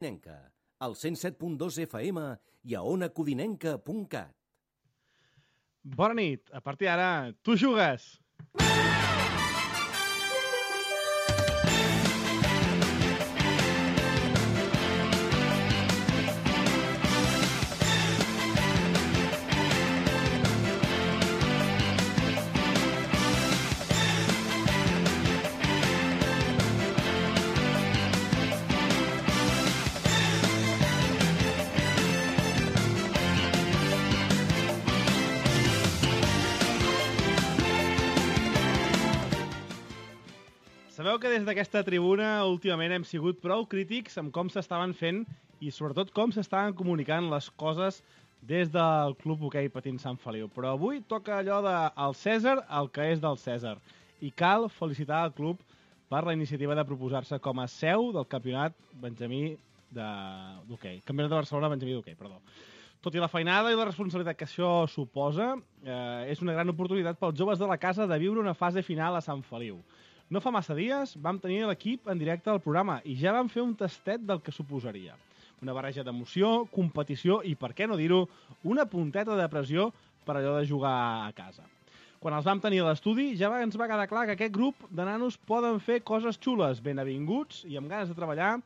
Codinenca, al 107.2 FM i a onacodinenca.cat. Bona nit. A partir d'ara, tu jugues! Sabeu que des d'aquesta tribuna últimament hem sigut prou crítics amb com s'estaven fent i sobretot com s'estaven comunicant les coses des del Club Hoquei Patins Sant Feliu. Però avui toca allò del Cèsar, el que és del Cèsar. I cal felicitar el club per la iniciativa de proposar-se com a seu del campionat Benjamí d'hoquei. Campionat de Barcelona Benjamí d'hoquei, perdó. Tot i la feinada i la responsabilitat que això suposa, és una gran oportunitat pels joves de la casa de viure una fase final a Sant Feliu. No fa massa dies vam tenir l'equip en directe al programa i ja vam fer un tastet del que suposaria. Una barreja d'emoció, competició i, per què no dir-ho, una punteta de pressió per allò de jugar a casa. Quan els vam tenir a l'estudi ja ens va quedar clar que aquest grup de nanos poden fer coses xules, ben avinguts i amb ganes de treballar,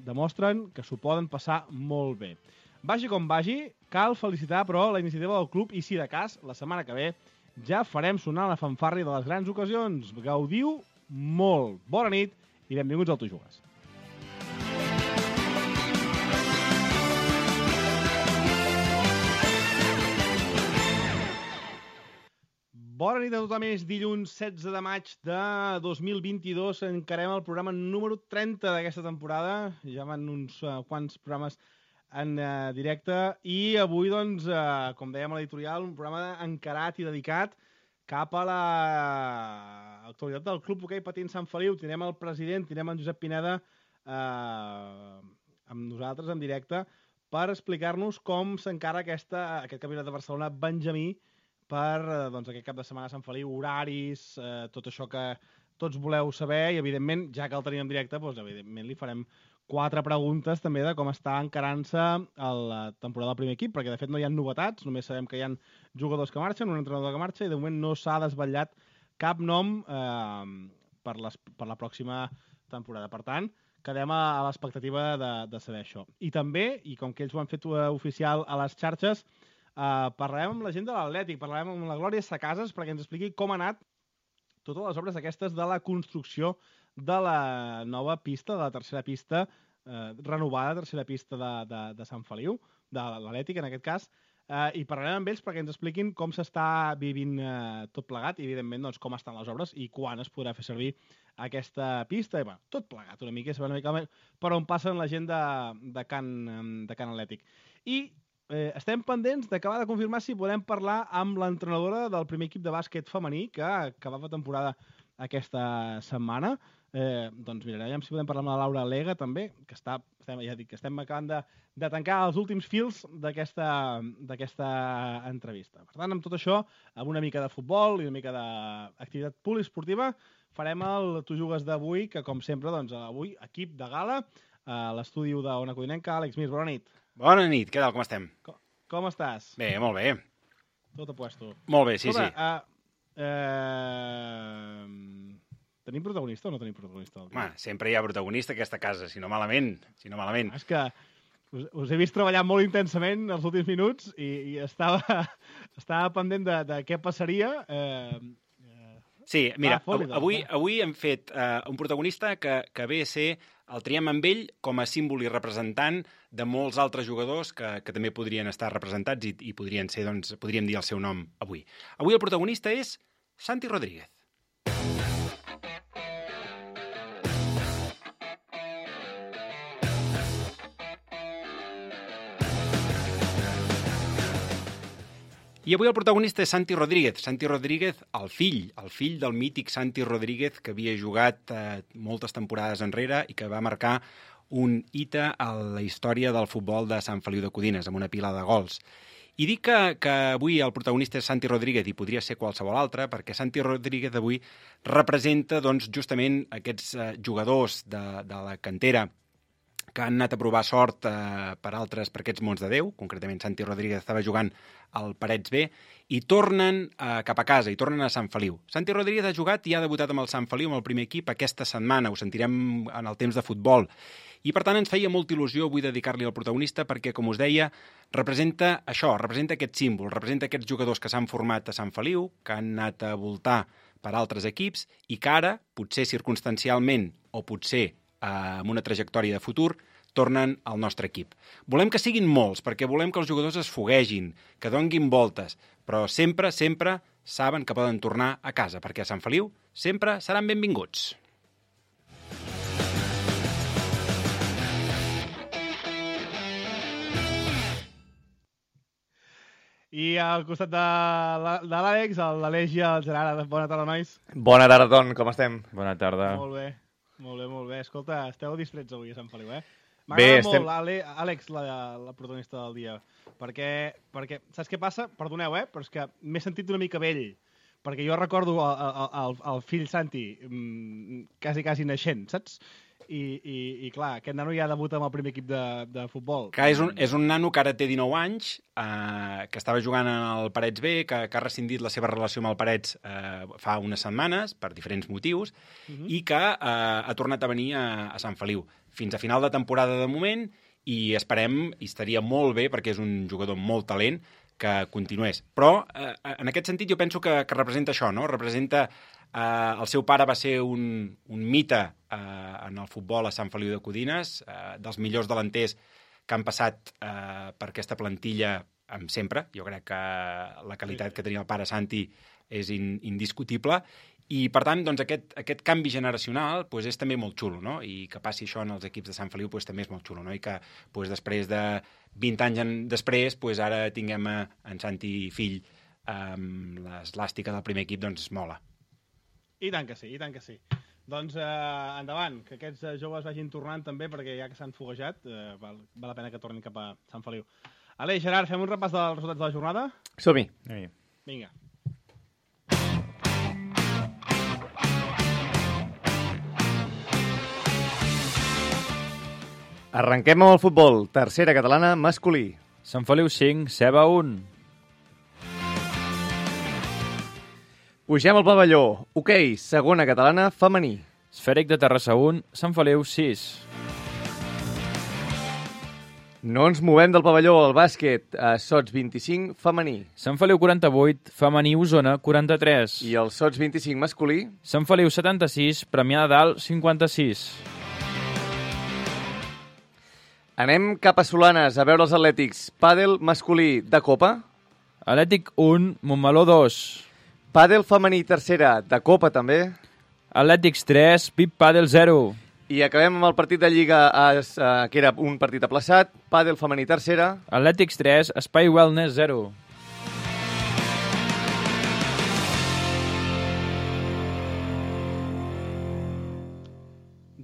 demostren que s'ho poden passar molt bé. Vagi com vagi, cal felicitar, però, la iniciativa del club i, si de cas, la setmana que ve ja farem sonar la fanfàrria de les grans ocasions. Gaudiu molt. Bona nit i benvinguts al Tu Jugues. Bona nit a tothom. És dilluns 16 de maig de 2022. Encarem el programa número 30 d'aquesta temporada. Ja van uns quants programes en directe i avui, doncs, com dèiem a l'editorial, un programa encarat i dedicat cap a l'actualitat del Club Hoquei Patins Sant Feliu. Tindrem el president, tindrem en Josep Pineda amb nosaltres en directe per explicar-nos com s'encara aquest campionat de Barcelona Benjamí per aquest cap de setmana a Sant Feliu, horaris, tot això que tots voleu saber i, evidentment, ja que el tenim en directe, doncs, evidentment, li farem 4 preguntes també de com està encarant-se la temporada del primer equip, perquè de fet no hi ha novetats, només sabem que hi ha jugadors que marxen, un entrenador que marxa, i de moment no s'ha desvetllat cap nom per la pròxima temporada. Per tant, quedem a l'expectativa de saber això. I també, i com que ells ho han fet oficial a les xarxes, parlarem amb la gent de l'Atlètic, parlarem amb la Glòria Sacases perquè ens expliqui com ha anat totes les obres aquestes de la construcció de la nova pista, de la tercera pista, renovada tercera pista de Sant Feliu, de l'Atlètic en aquest cas, i parlarem amb ells perquè ens expliquin com s'està vivint tot plegat i, evidentment, doncs, com estan les obres i quan es podrà fer servir aquesta pista. I, tot plegat una mica, saber una mica per on passen la gent de Can Atlètic. I estem pendents d'acabar de confirmar si podem parlar amb l'entrenadora del primer equip de bàsquet femení que acabava temporada aquesta setmana. Doncs mirarem si podem parlar amb la Laura Lega també, que estem acabant de tancar els últims fils d'aquesta entrevista. Per tant, amb tot això, amb una mica de futbol i una mica d'activitat poliesportiva, farem el Tu Jugues d'avui, que com sempre, doncs, avui, equip de gala, a l'estudi d'Ona Codinenca. Àlex Mir, bona nit. Bona nit, què tal, com estem? Com estàs? Bé, molt bé. Tot a puesto. Molt bé, sí, sí. Tenim protagonista o no tenim protagonista? Sempre hi ha protagonista a aquesta casa, si no malament. És que us he vist treballar molt intensament els últims minuts i estava pendent de què passaria. Sí, mira, avui hem fet un protagonista que ve a ser el triem amb ell com a símbol i representant de molts altres jugadors que també podrien estar representats i podrien ser, doncs, podríem dir el seu nom avui. Avui el protagonista és Santi Rodríguez. I avui el protagonista és Santi Rodríguez. Santi Rodríguez, el fill del mític Santi Rodríguez, que havia jugat moltes temporades enrere i que va marcar un hita a la història del futbol de Sant Feliu de Codines, amb una pila de gols. I dic que avui el protagonista és Santi Rodríguez i podria ser qualsevol altre, perquè Santi Rodríguez avui representa, doncs, justament aquests jugadors de la cantera que han anat a provar sort per aquests mons de Déu, concretament Santi Rodríguez estava jugant al Parets B, i tornen cap a casa, i tornen a Sant Feliu. Santi Rodríguez ha jugat i ha debutat amb el Sant Feliu, amb el primer equip, aquesta setmana, ho sentirem en el temps de futbol. I, per tant, ens feia molta il·lusió avui dedicar-li al protagonista perquè, com us deia, representa això, representa aquest símbol, representa aquests jugadors que s'han format a Sant Feliu, que han anat a voltar per altres equips i que ara, potser circumstancialment o potser amb una trajectòria de futur, tornen al nostre equip. Volem que siguin molts, perquè volem que els jugadors es foguegin, que donguin voltes, però sempre, sempre saben que poden tornar a casa, perquè a Sant Feliu sempre seran benvinguts. I al costat de l'Àlex, l'Aleix i el Gerard. Bona tarda, nois. Bona tarda, Ton, com estem? Bona tarda. Molt bé, molt bé. Escolta, esteu distrets avui a Sant Feliu, eh? Bé, M'agrada molt, Àlex, la protagonista del dia, perquè saps què passa? Perdoneu, però és que m'he sentit una mica vell, perquè jo recordo el fill Santi quasi naixent, saps? I clar, aquest nano ja debuta amb el primer equip de futbol. Que és un nano que ara té 19 anys, que estava jugant al Parets B, que ha rescindit la seva relació amb el Parets fa unes setmanes, per diferents motius, i que ha tornat a venir a Sant Feliu fins a final de temporada de moment, i esperem, i estaria molt bé, perquè és un jugador amb molt talent, que continués. Però, en aquest sentit, jo penso que representa això, no? Representa... el seu pare va ser un mite en el futbol a Sant Feliu de Codines, dels millors delanters que han passat per aquesta plantilla sempre. Jo crec que la qualitat que tenia el pare Santi és indiscutible, i per tant doncs, aquest canvi generacional doncs, és també molt xulo, no? I que passi això en els equips de Sant Feliu doncs, també és molt xulo, no? I que doncs, després de 20 anys després doncs, ara tinguem en Santi fill amb l'eslàstica del primer equip, doncs mola. I tant que sí, i tant que sí. Doncs endavant, que aquests joves vagin tornant també, perquè ja que s'han foguejat, val la pena que tornin cap a Sant Feliu. Aleix, Gerard, fem un repàs dels resultats de la jornada? Som-hi. Vinga. Arrenquem amb el futbol. Tercera catalana, masculí. Sant Feliu 5, Ceba 1. Pugem al pavelló. Hoquei, segona catalana, femení. Esfèric de Terrassa 1, Sant Feliu 6. No ens movem del pavelló al bàsquet. Sots 25, femení. Sant Feliu 48, femení Osona 43. I el Sots 25 masculí. Sant Feliu 76, Premià de Dalt 56. Anem cap a Solanes a veure els atlètics. Pàdel masculí de Copa. Atlètic 1, Montmeló 2. Pàdel femení tercera de Copa també. Atlètics 3, Pip Pàdel 0. I acabem amb el partit de Lliga, que era un partit aplaçat. Pàdel femení tercera. Atlètics 3, Espai Wellness 0.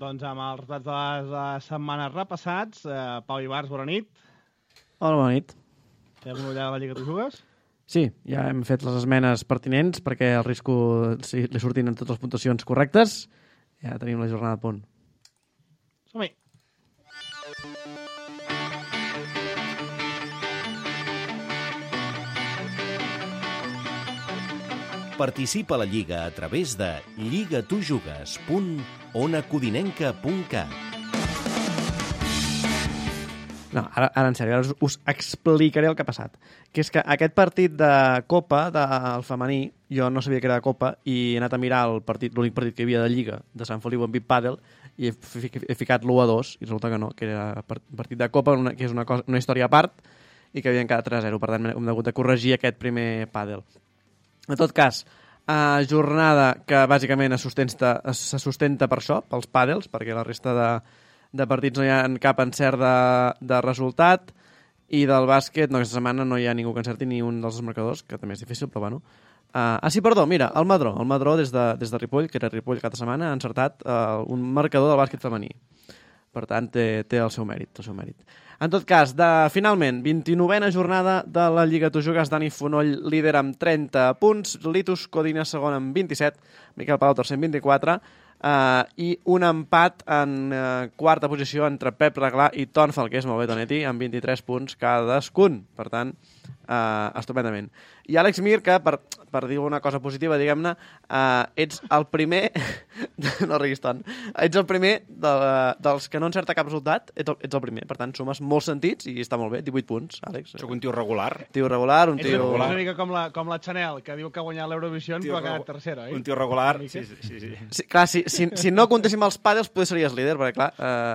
Doncs amb els resultats de les setmanes repassats, Pau Ibars, bona nit. Hola, bona nit. Fem una ullada a la Lliga Tu Jugues? Sí, ja hem fet les esmenes pertinents perquè el risco li surtin en totes les puntuacions correctes. Ja tenim la jornada a punt. Som-hi. Participa a la Lliga a través de lligatujugues.onacodinenca.cat. No, ara en sèrio, ara us explicaré el que ha passat. Que és que aquest partit de Copa, del femení, jo no sabia que era de Copa i he anat a mirar l'únic partit que hi havia de Lliga de Sant Feliu amb Pip Pàdel i he ficat l'1-2 i resulta que no, que era partit de Copa, que és una història a part i que havien quedat 3-0. Per tant, hem hagut de corregir aquest primer Pàdel. En tot cas, jornada que bàsicament se sustenta per això, pels pàdels, perquè la resta de partits no hi ha cap encert de resultat, i del bàsquet, aquesta setmana no hi ha ningú que encerti ni un dels marcadors, que també és difícil, però bueno. Sí, perdó, mira, el Madró des de Ripoll, que era Ripoll cada setmana, ha encertat un marcador del bàsquet femení. Per tant, té el seu mèrit, En tot cas, finalment, 29a jornada de la Lliga Tu Jugues, Dani Fonoll líder amb 30 punts, Litus Codina segon amb 27, Miquel Palau tercer amb 24, I un empat en quarta posició entre Pep Reglà i Tonfal, que és molt bé, Tonetti, amb 23 punts cadascun. Per tant, estupendament. I Àlex Mir, que per dir una cosa positiva, diguem-ne, ets el primer... no riguis tant. Ets el primer dels que no encerta cap resultat, ets el primer. Per tant, sumes molts sentits i està molt bé. 18 punts, Àlex. Soc un tio regular. Tio regular, un És tio... una mica com la Chanel, que diu que ha guanyat l'Eurovisió però ha quedat tercera, oi? Un tio regular, sí. Sí, clar, si no comptéssim els pàdels, potser series líder, perquè clar,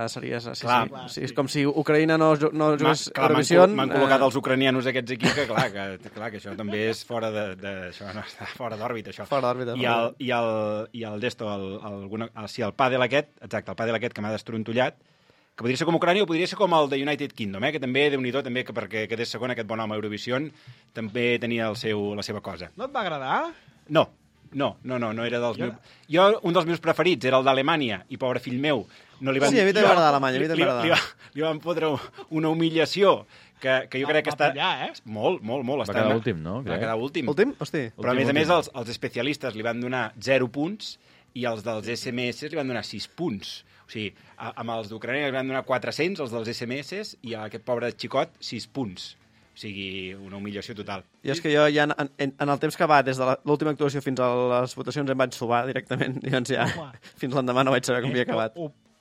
series... Sí, és com si Ucraïna no jugués Eurovisió. M'han col·locat els ucranianos aquests aquí, que clar, que això també és fora això no està fora d'òrbita, això. Fora d'òrbita. I el d'esto, el pàdel aquest, exacte, el pàdel aquest que m'ha destrontollat, que podria ser com Ucrània o podria ser com el de United Kingdom, que també, Déu-n'hi-do, també, que perquè quedés segon aquest bon home a Eurovisió, també tenia la seva cosa. No et va agradar? No era dels meus... Jo, un dels meus preferits era el d'Alemanya, i pobre fill meu, no li van... Sí, a mi també m'agrada Alemanya, li van fotre una humiliació que jo crec que està... Pillar, Molt. Va quedar últim, no? Va quedar últim. Últim? Hosti. Però a més, els especialistes li van donar 0 punts i els dels SMS li van donar 6 punts. O sigui, amb els d'Ucrània li van donar 400, els dels SMS, i a aquest pobre xicot 6 punts. O sigui, una humiliació total. I és que jo ja en el temps que va, des de l'última actuació fins a les votacions, em vaig sobar directament. I doncs ja, fins l'endemà no vaig saber com havia acabat.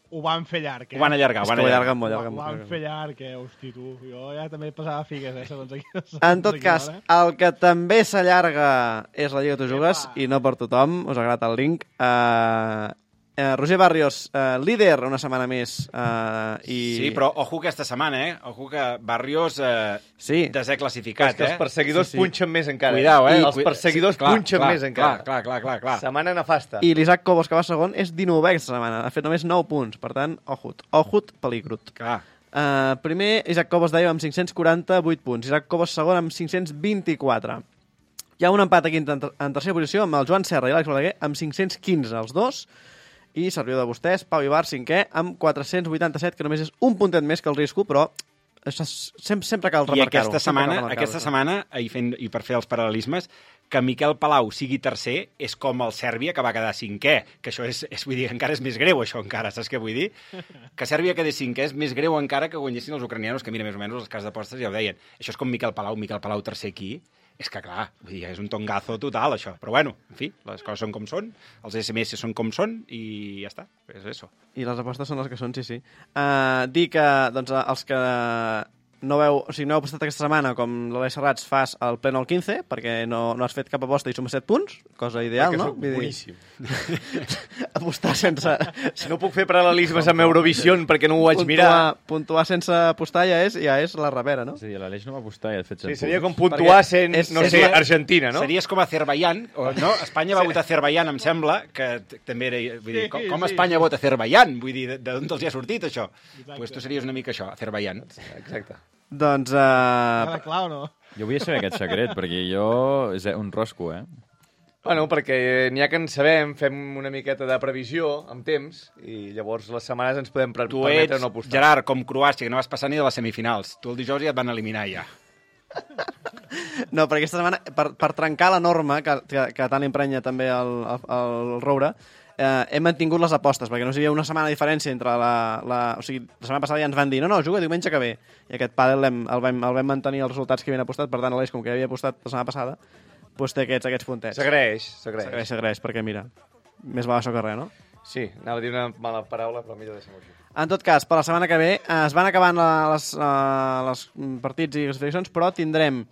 Ho van fer llarg, Ho van allargar. Ho allarguen molt. Ho van fer llarg, hosti, tu. Jo ja també passava figues, segons aquí. En tot cas, el que també s'allarga és la Lliga Tu Jugues, i no per tothom, us ha agradat el link. Roger Barrios, líder una setmana més. Sí, però ojo aquesta setmana, Ojo que Barrios desè classificat, que els perseguidors punxen més encara. Cuidao, Els perseguidors punxen més encara. Clar. Setmana nefasta. I l'Isaac Cobos, que va segon, és 19è aquesta setmana. Ha fet només 9 punts. Per tant, ojut peligrut. Clar. Primer, Isaac Cobos, deia, amb 548 punts. Isaac Cobos segon amb 524. Hi ha un empat aquí en tercera posició amb el Joan Serra i l'Àlex Balaguer amb 515 els dos. I servidor de vostès, Pau Ibar, cinquè, amb 487, que només és un puntet més que el risco, però això sempre cal remarcar-ho. I aquesta setmana, i per fer els paral·lelismes, que Miquel Palau sigui tercer és com el Sèrbia, que va quedar cinquè, que això vull dir, encara és més greu, això encara, saps què vull dir? Que Sèrbia quedés cinquè és més greu encara que guanyessin els ucranianos, que mira, més o menys les cases d'apostes ja ho deien. Això és com Miquel Palau tercer aquí. És que, clar, vull dir, és un tongazo total, això. Però, bueno, en fi, les coses són com són, els SMS són com són, i ja està, és això. I les apostes són les que són, sí. Dir que, doncs, els que no heu apostat aquesta setmana, com l'Aleix Serrats, fas el pleno al 15, perquè no has fet cap aposta i sumes 7 punts, cosa ideal, no? Perquè soc boníssim. Apostar sense... Si no puc fer paral·lelismes amb Eurovisió perquè no ho vaig mirar... Puntuar sense apostar ja és la repera, no? Sí, l'Aleix no va apostar i ha fet 7 punts. Sí, seria com puntuar sent, Argentina, no? Series com Azerbaiyán, no? Espanya va votar Azerbaiyán, em sembla, que també era... Vull dir, com Espanya vota Azerbaiyán? Vull dir, d'on els hi ha sortit, això? Doncs tu series una mica això, Azerbaiyán. Exacte. Doncs... Clar o no? Jo volia saber aquest secret, perquè jo... És un rosco, Bueno, perquè n'hi ha que en sabem, fem una miqueta de previsió amb temps, i llavors les setmanes ens podem permetre no apostar. Gerard, com Croàcia, que no vas passar ni de les semifinals. Tu el dijous ja et van eliminar, ja. No, perquè aquesta setmana, per trencar la norma, que tant emprenya també el Roure, hem mantingut les apostes, perquè no hi havia una setmana de diferència entre o sigui, la setmana passada ja ens van dir no, juga diumenge que ve, i aquest pàdel el vam mantenir els resultats que havien apostat, per tant, l'Aleix, com que havia apostat la setmana passada, doncs té aquests puntets. S'agraeix, perquè mira, més val això que res, no? Sí, anava a dir una mala paraula, però millor deixem-ho així. En tot cas, per la setmana que ve es van acabant les partits i classificacions, però tindrem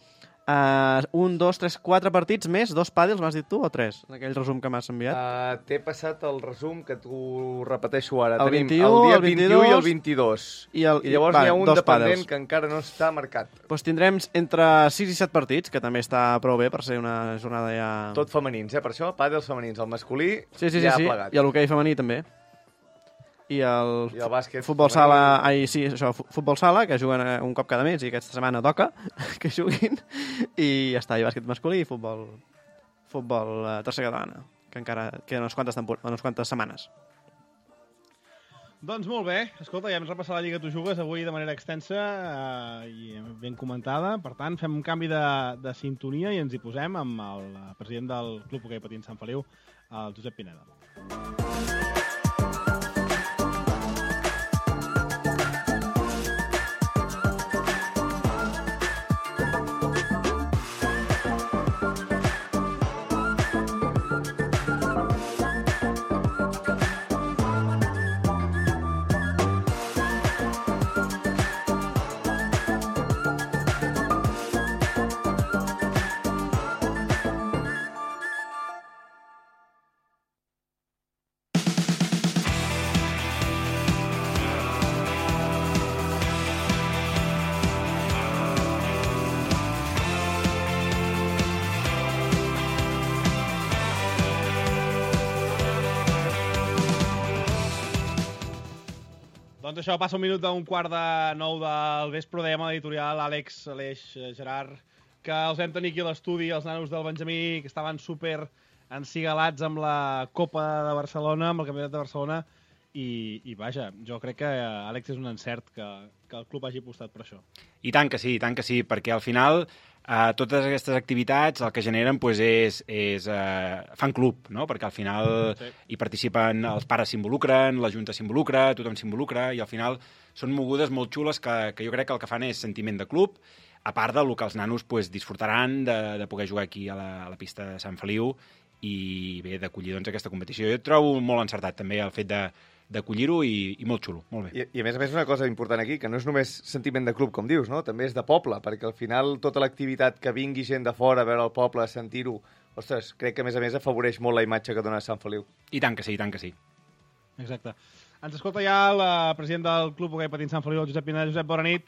1, 2, 3, 4 partits més, 2 pàdels, m'has dit tu, o 3? En aquell resum que m'has enviat. T'he passat el resum que t'ho repeteixo ara. El Tenim 21, el dia el 21 i el 22. I llavors n'hi ha un dependent que encara no està marcat. Doncs tindrem entre 6 i 7 partits, que també està prou bé per ser una jornada ja... Tot femenins, per això, pàdels femenins. El masculí ja ha plegat. I l'hoquei femení també. I el bàsquet futbol sala, futbol sala, que juguen un cop cada mes i aquesta setmana toca que juguin, i ja està, i bàsquet masculí i futbol tercera catalana, que encara queden unes quantes setmanes. Doncs molt bé, escolta, ja hem repassat la Lliga Tu Jugues avui de manera extensa i ben comentada, per tant fem un canvi de sintonia i ens hi posem amb el president del Club Hoquei Patins Sant Feliu, el Josep Pineda. Doncs això, passa un minut d'un 8:45 del vespre, dèiem a l'editorial Àlex, Aleix, Gerard, que els vam tenir aquí a l'estudi, els nanos del Benjamí, que estaven super encigalats amb la Copa de Barcelona, amb el Campionat de Barcelona, i vaja, jo crec que, Àlex, és un encert que el club hagi apostat per això. I tant que sí, perquè al final totes aquestes activitats el que generen pues, és fan club, no? Perquè al final hi participen, els pares s'involucren, la Junta s'involucra, tothom s'involucra, i al final són mogudes molt xules que jo crec que el que fan és sentiment de club, a part del que els nanos pues, disfrutaran de poder jugar aquí a la pista de Sant Feliu i bé, d'acollir doncs, aquesta competició. Jo trobo molt encertat també el fet d'acollir-ho i molt xulo, molt bé. I a més una cosa important aquí, que no és només sentiment de club, com dius, no? També és de poble, perquè al final tota l'activitat que vingui gent de fora a veure el poble, a sentir-ho, ostres, crec que a més afavoreix molt la imatge que dona Sant Feliu. I tant que sí, i tant que sí. Exacte. Ens escolta ja el president del Club Hoquei Patins Sant Feliu, el Josep Pineda. Josep, bona nit.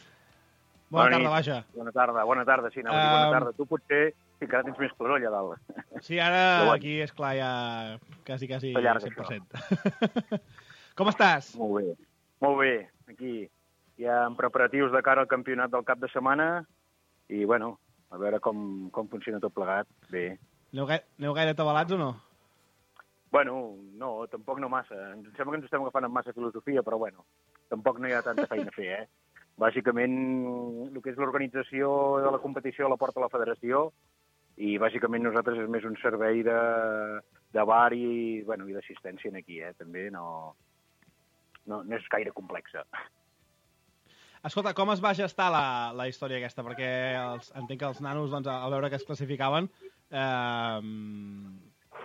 Bona tarda, vaja. Bona tarda, sí, bona tarda. Tu potser encara tens més claror allà dalt. Sí, ara aquí, és clar, ja quasi 100%. Com estàs? Molt bé. Aquí ja en preparatius de cara al campionat del cap de setmana i, bueno, a veure com funciona tot plegat. Bé. Aneu gaire atabalats o no? Bueno, no, tampoc no massa. Em sembla que ens estem agafant amb massa filosofia, però, bueno, tampoc no hi ha tanta feina a fer, Bàsicament, el que és l'organització de la competició la porta la federació i, bàsicament, nosaltres és més un servei de bar i d'assistència aquí, també no és gaire complexa. Escolta, com es va gestar la història aquesta? Perquè entenc que els nanos, doncs, al veure que es classificaven,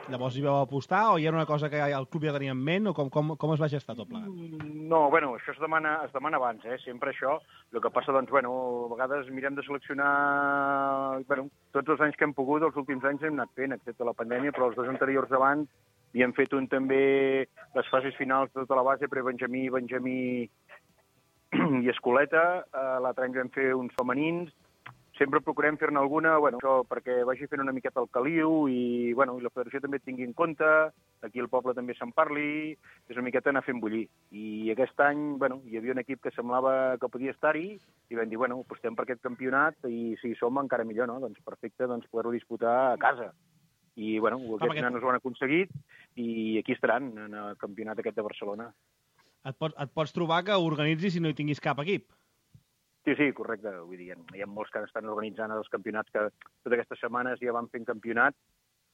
llavors hi vau apostar o hi era una cosa que el club ja tenia en ment o com es va gestar tot plegat? No, això es demana abans, sempre això. El que passa, doncs, a vegades mirem de seleccionar... Tots els anys que hem pogut, els últims anys hem anat fent, excepte la pandèmia, però els dos anteriors abans havíem fet també les fases finals de tota la base, pre-Benjamí i Escoleta. L'altre any vam fer uns femenins. Sempre procurem fer-ne alguna, això perquè vagi fent una miqueta el caliu i la federació també tingui en compte, aquí al poble també se'n parli, és una miqueta anar fent bullir. I aquest any, hi havia un equip que semblava que podia estar-hi i vam dir, apostem per aquest campionat i si hi som encara millor, no? Doncs perfecte, poder-ho disputar a casa. I, aquests nanos ho han aconseguit i aquí estaran en el campionat aquest de Barcelona. Et pots trobar que organitzis si no hi tinguis cap equip? Sí, correcte. Vull dir, hi ha molts que estan organitzant els campionats que totes aquestes setmanes ja van fent campionat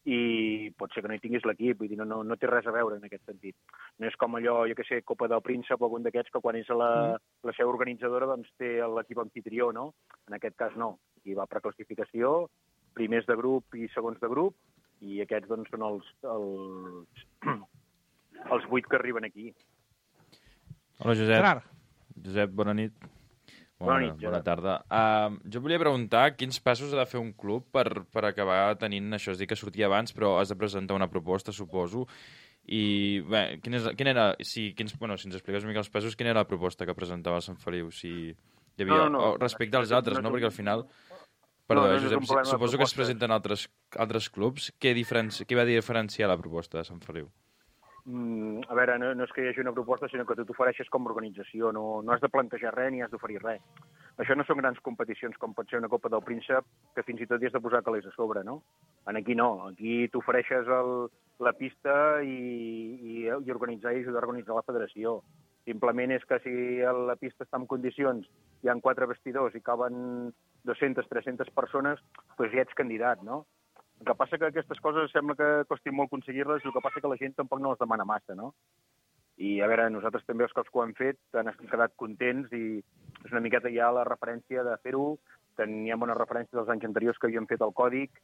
i pot ser que no hi tinguis l'equip, vull dir, no té res a veure en aquest sentit. No és com allò, jo què sé, Copa del Príncep o algun d'aquests que quan és la seu organitzadora doncs té l'equip anfitrió, no? En aquest cas no. Aquí va per classificació, primers de grup i segons de grup, i aquests doncs són els 8 que arriben aquí. Hola, Josep. Josep, bona nit. Bona tarda. Jo volia preguntar quins passos ha de fer un club per acabar tenint això. És dir, que sortia abans, però has de presentar una proposta, suposo. I, bé, si ens expliques una mica els passos, quina era la proposta que presentava el Sant Feliu? Si hi havia, respecte als altres, no? Perquè al final... Perdó, Josep, suposo que es presenten altres clubs. Què va diferenciar la proposta de Sant Feliu? A veure, no és que hi hagi una proposta, sinó que tu t'ofereixes com a organització. No has de plantejar res ni has d'oferir res. Això no són grans competicions com pot ser una Copa del Príncep, que fins i tot hi has de posar calés a sobre, no? Aquí no. Aquí t'ofereixes la pista i organitzar i ajudar a organitzar la federació. Simplement és que si la pista està en condicions, hi ha 4 vestidors i caben 200, 300 persones, doncs ja ets candidat, no? El que passa que aquestes coses sembla que costi molt aconseguir-les, el que passa que la gent tampoc no les demana massa, no? I, a veure, nosaltres també els cops que ho hem fet han quedat contents i és una miqueta ja la referència de fer-ho. Teníem una referència dels anys anteriors que havíem fet el còdic.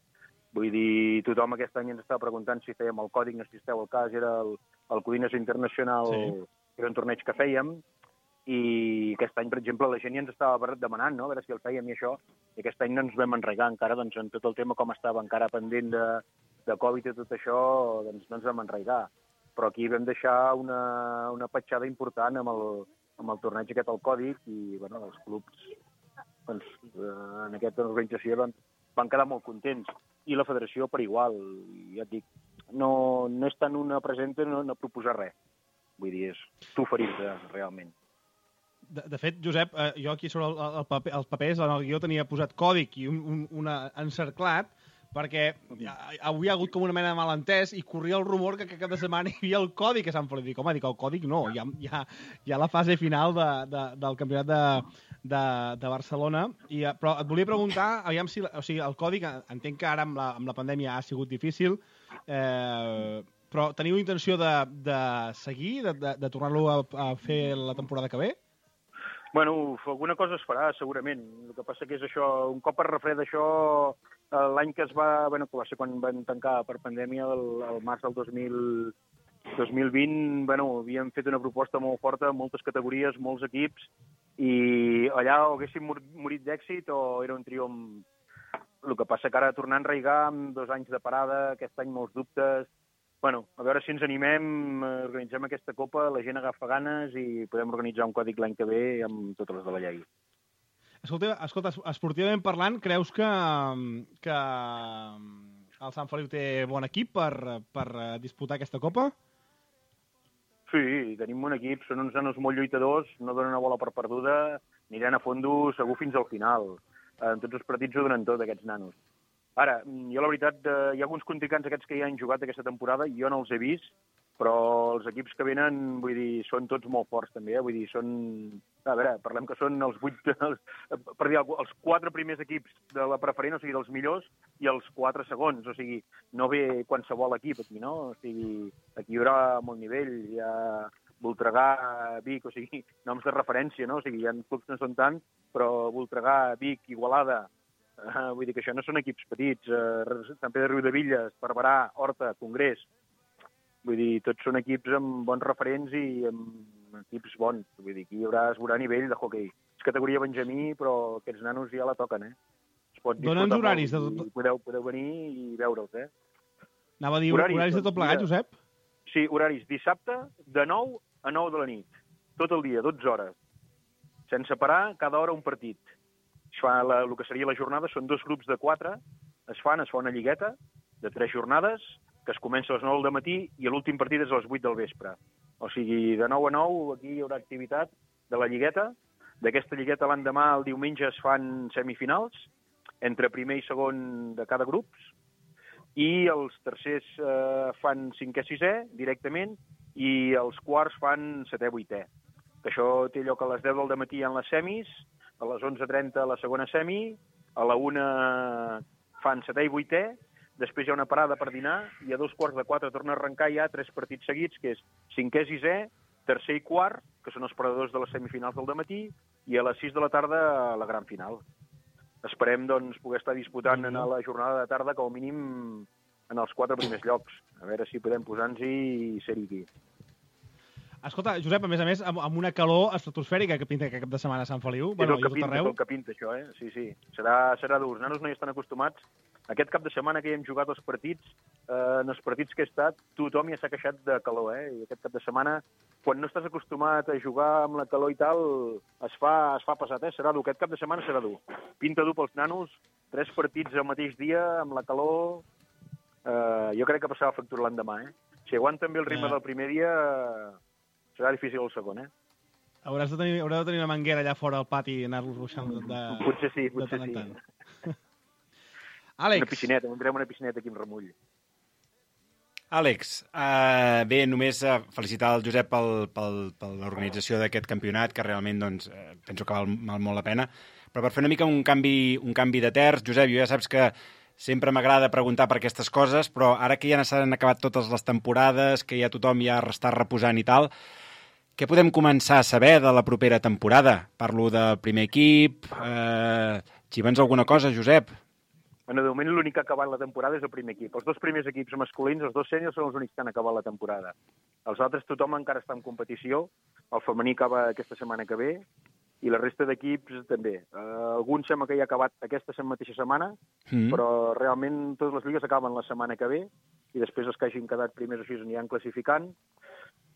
Vull dir, tothom aquest any ens estava preguntant si fèiem el còdic, no sé si esteu al cas, era el Codines Internacional, era un torneig que fèiem. I aquest any, per exemple, la gent ja ens estava demanant, no?, a veure si el fèiem i això, i aquest any no ens vam enregar encara, doncs, en tot el tema com estava encara pendent de Covid i tot això, doncs no ens vam enregar. Però aquí vam deixar una petjada important amb el torneig aquest al Còdic i, bueno, els clubs, doncs, en aquesta organització van quedar molt contents. I la federació per igual, ja et dic, no és tant una presenta, no proposar res. Vull dir, és tu oferir-te, realment. De fet, Josep, jo aquí sobre els papers, en el guió tenia posat còdic i un encerclat, perquè avui ha hagut com una mena de malentès i corria el rumor que cap de setmana hi havia el còdic a Sant Feliu. Dic, home, el còdic no, hi ha la fase final del campionat de Barcelona. Però et volia preguntar, aviam si el còdic, entenc que ara amb la pandèmia ha sigut difícil, però teniu intenció de seguir, de tornar-lo a fer la temporada que ve? Bueno, alguna cosa es farà, segurament. El que passa que és això, un cop es refreda això, l'any que que va ser quan van tancar per pandèmia, el març del 2020, havíem fet una proposta molt forta, moltes categories, molts equips, i allà o haguéssim morit d'èxit o era un triomf. El que passa que ara tornar a enraigar amb 2 anys de parada, aquest any molts dubtes. A veure si ens animem, organitzem aquesta copa, la gent agafa ganes i podem organitzar un còdic l'any que ve amb totes les de la llei. Escolta, esportivament parlant, creus que el Sant Feliu té bon equip per disputar aquesta copa? Sí, tenim un equip, són uns nanos molt lluitadors, no donen una bola per perduda, aniran a fondo segur fins al final. En tots els partits ho donen tot, aquests nanos. Ara, jo la veritat, hi ha alguns contrincants aquests que ja han jugat aquesta temporada, jo no els he vist, però els equips que venen, vull dir, són tots molt forts també, vull dir, són... A veure, parlem que són els 4 primers equips de la preferent, o sigui, dels millors, i els 4 segons, o sigui, no ve qualsevol equip aquí, no? O sigui, aquí hi haurà molt nivell, hi ha Voltregà, Vic, o sigui, noms de referència, no? O sigui, hi ha clubs que no són tant, però Voltregà, Vic, Igualada, vull dir que això no són equips petits, Sant Pere de Riudevilles, Barberà, Horta, Congrés, vull dir, tots són equips amb bons referents i amb equips bons, vull dir, aquí hi haurà nivell de hoquei. És categoria benjamí, però aquests nanos ja la toquen, Es pot disfrutar molt, horaris de tot... Podeu venir i veure'ls, Anava a dir horaris de tot plegat, Josep? Sí, horaris dissabte de 9 a 9 de la nit, tot el dia, 12 hores, sense parar, cada hora un partit. El que seria la jornada són 2 grups de 4, es fa una lligueta de 3 jornades, que es comença a les 9 del matí i l'últim partit és a les 8 del vespre. O sigui, de 9 a 9 aquí hi haurà activitat de la lligueta. D'aquesta lligueta l'endemà, el diumenge, es fan semifinals, entre primer i segon de cada grup, i els tercers fan 5è, 6è directament, i els quarts fan 7è, 8è. Que això té lloc a les 10 del matí en les semis, a les 11:30 la segona semi, a la 1 fan 7è i 8è, després hi ha una parada per dinar i a 3:45 torna a arrencar ja 3 partits seguits, que és 5è, 6è, tercer i quart, que són els perdedors de les semifinals del dematí, i a les 6 de la tarda la gran final. Esperem doncs, poder estar disputant en la jornada de tarda com a mínim en els 4 primers llocs. A veure si podem posar-nos-hi i ser-hi aquí. Escolta, Josep, a més, amb una calor estratosfèrica que pinta aquest cap de setmana a Sant Feliu. És el que pinta, això, Sí. Serà dur. Els nanos no hi estan acostumats. Aquest cap de setmana que hi hem jugat els partits, en els partits que he estat, tothom ja s'ha queixat de calor, I aquest cap de setmana, quan no estàs acostumat a jugar amb la calor i tal, es fa pesat, Serà dur. Aquest cap de setmana serà dur. Pinta dur pels nanos, 3 partits al mateix dia, amb la calor... Jo crec que passarà factura l'endemà, Si aguanten bé el ritme del primer dia... Serà difícil el segon, Haureu de tenir una manguera allà fora al pati i anar-los ruixant de... Potser sí. Àlex. Una piscineta, tindrem una piscineta aquí amb remull. Àlex, bé, només felicitar el Josep per l'organització d'aquest campionat, que realment doncs, penso que val molt la pena. Però per fer una mica un canvi de terç, Josep, jo ja saps que sempre m'agrada preguntar per aquestes coses, però ara que ja s'han acabat totes les temporades, que ja tothom ja està reposant i tal, què podem començar a saber de la propera temporada? Parlo del primer equip... Xivens alguna cosa, Josep? Bueno, de moment l'únic que ha acabat la temporada és el primer equip. Els 2 primers equips masculins, els 2 sèniors, són els únics que han acabat la temporada. Els altres tothom encara està en competició. El femení acaba aquesta setmana que ve i la resta d'equips també. Alguns sembla que ja ha acabat aquesta mateixa setmana, però realment totes les lligues acaben la setmana que ve i després els que hagin quedat primers així aniran classificant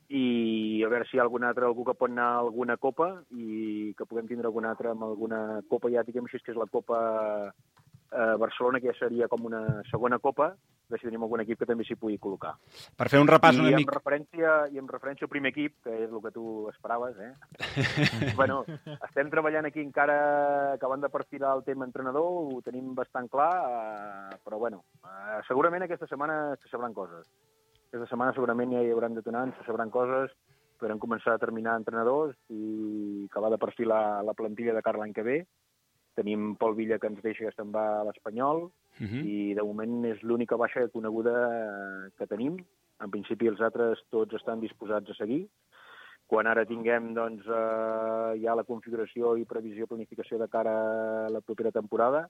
i a veure si hi ha algun altre, algú que pot anar a alguna copa i que puguem tindre algun altre amb alguna copa, ja diguem així, que és la copa Barcelona, que ja seria com una segona copa, a veure si tenim algun equip que també s'hi pugui col·locar. Per fer un repàs una mica... I amb referència al primer equip, que és el que tu esperaves, bueno, estem treballant aquí encara, acabant de perfilar el tema entrenador, ho tenim bastant clar, però bueno, segurament aquesta setmana se sabran coses. Aquesta setmana segurament ja hi hauran detonants, se sabran coses, podrem començar a terminar entrenadors i acabar de perfilar la plantilla de cara l'any que ve. Tenim Pol Villa, que ens deixa que se'n va a l'Espanyol, i de moment és l'única baixa coneguda que tenim. En principi els altres tots estan disposats a seguir. Quan ara tinguem doncs, ja la configuració i previsió, planificació de cara a la propera temporada,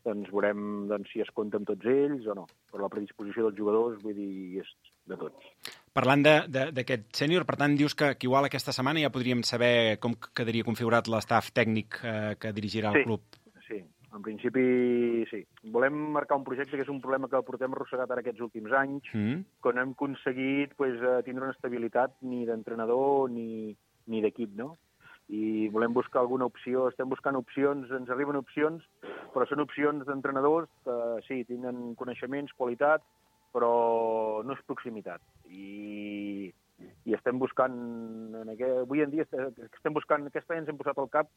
doncs veurem si es compta amb tots ells o no. Però la predisposició dels jugadors, vull dir, és de tots. Parlant d'aquest sènior, per tant, dius que igual aquesta setmana ja podríem saber com quedaria configurat l'estaf tècnic que dirigirà el club. Sí, en principi sí. Volem marcar un projecte que és un problema que portem arrossegat ara aquests últims anys, que no hem aconseguit tindre una estabilitat ni d'entrenador ni d'equip, no? I volem buscar alguna opció, estem buscant opcions, ens arriben opcions, però són opcions d'entrenadors que sí, tenen coneixements, qualitat, però no és proximitat. I estem buscant, avui en dia estem buscant, aquest any ens hem posat al cap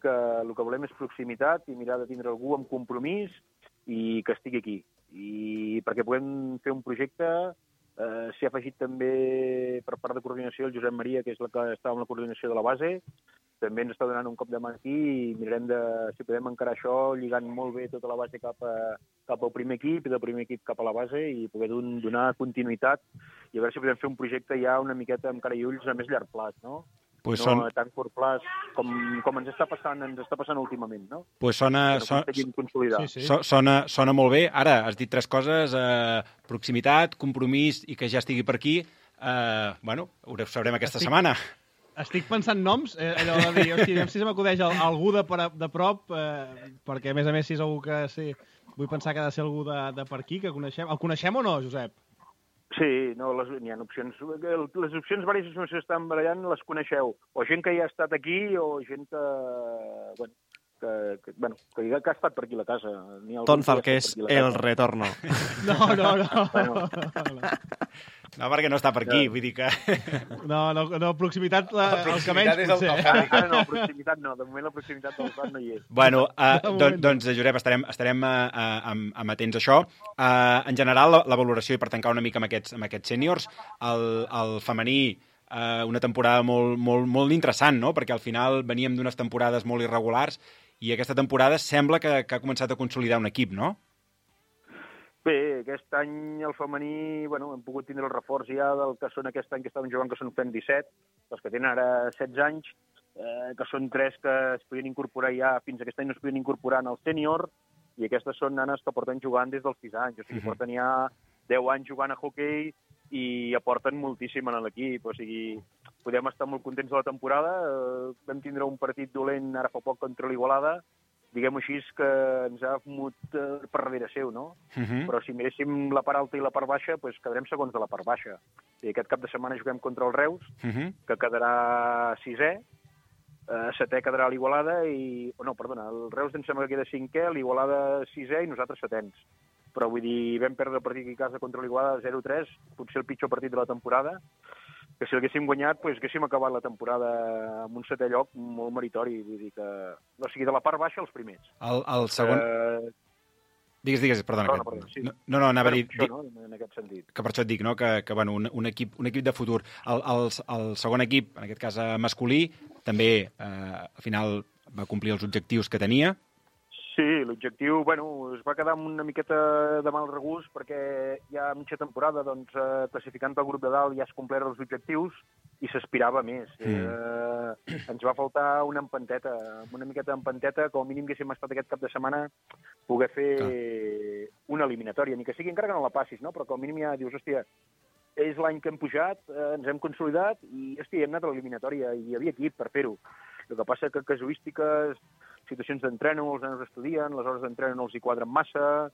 que el que volem és proximitat i mirar de tindre algú amb compromís i que estigui aquí. I perquè puguem fer un projecte, s'hi ha afegit també per part de coordinació el Josep Maria, que és la que estava amb la coordinació de la base, també ens està donant un cop de mà aquí i mirarem si podem encarar això lligant molt bé tota la base cap al primer equip i del primer equip cap a la base i poder donar continuïtat i a veure si podem fer un projecte ja una miqueta amb cara i ulls a més llarg plaç, no? Pues no a tan curt plaç com ens està passant últimament, no? Pues sona molt bé. Ara, has dit tres coses, proximitat, compromís i que ja estigui per aquí. Bueno, ho sabrem aquesta setmana. Estic pensant noms, allò de dir, hòstia, si se m'acudeix algú de prop, perquè a més si és algú que sí, vull pensar que ha de ser algú de per aquí, que coneixem. El coneixem o no, Josep? Sí, no, n'hi ha opcions. Les opcions diverses que s'estan barallant les coneixeu. O gent que ja ha estat aquí o gent que ha estat per aquí a la casa. Ton Falqués, el retorno. No. No, perquè no està per aquí, vull dir que... No, proximitat, el que menys potser. No, proximitat no, de moment la proximitat del Prat no hi és. Bueno, doncs, Josep, estarem amatents a això. En general, la valoració, i per tancar una mica amb aquests sèniors, el femení, una temporada molt interessant, no? Perquè al final veníem d'unes temporades molt irregulars i aquesta temporada sembla que ha començat a consolidar un equip, no? Bé, aquest any el femení, hem pogut tindre el reforç ja del que són aquest any que estaven jugant, que són fent 17, els que tenen ara 16 anys, que són 3 que es podien incorporar ja, fins aquest any no es podien incorporar en el sènior, i aquestes són nanes que porten jugant des dels 6 anys, o sigui, porten ja 10 anys jugant a hoquei i aporten moltíssim en l'equip, o sigui, podem estar molt contents de la temporada, vam tindre un partit dolent ara fa poc contra l'Igualada, diguem-ho així, que ens ha fumut per darrere seu, no? Però si miréssim la part alta i la part baixa, doncs quedarem segons de la part baixa. I aquest cap de setmana juguem contra el Reus, que quedarà 6è, 7è quedarà l'Igualada i... No, perdona, el Reus em sembla que queda 5è, l'Igualada 6è i nosaltres 7ens. Però vull dir, vam perdre el partit aquí a casa contra l'Igualada 0-3, potser el pitjor partit de la temporada, que si l'haguéssim guanyat, doncs haguéssim acabat la temporada amb un 7è lloc molt meritori, vull dir que... O sigui, de la part baixa, els primers. El segon... Digues, perdona. Sí. No, anava a dir... Això, no? En aquest sentit. Que per això et dic, no? Que bueno, un equip de futur. El segon equip, en aquest cas masculí, també al final va complir els objectius que tenia. Sí, l'objectiu, es va quedar amb una miqueta de mal regust perquè ja a mitja temporada, classificant pel grup de dalt ja es compleren els objectius i s'aspirava més. Ens va faltar una empanteta, una miqueta d'empanteta, com a mínim haguéssim estat aquest cap de setmana poder fer una eliminatòria, ni que sigui encara que no la passis, no? Però com a mínim ja dius, hòstia, és l'any que hem pujat, ens hem consolidat i, hem anat a l'eliminatòria i hi havia equip per fer-ho. El que passa que casuístiques, situacions d'entreno, els nanos estudien, les hores d'entreno no els hi quadren massa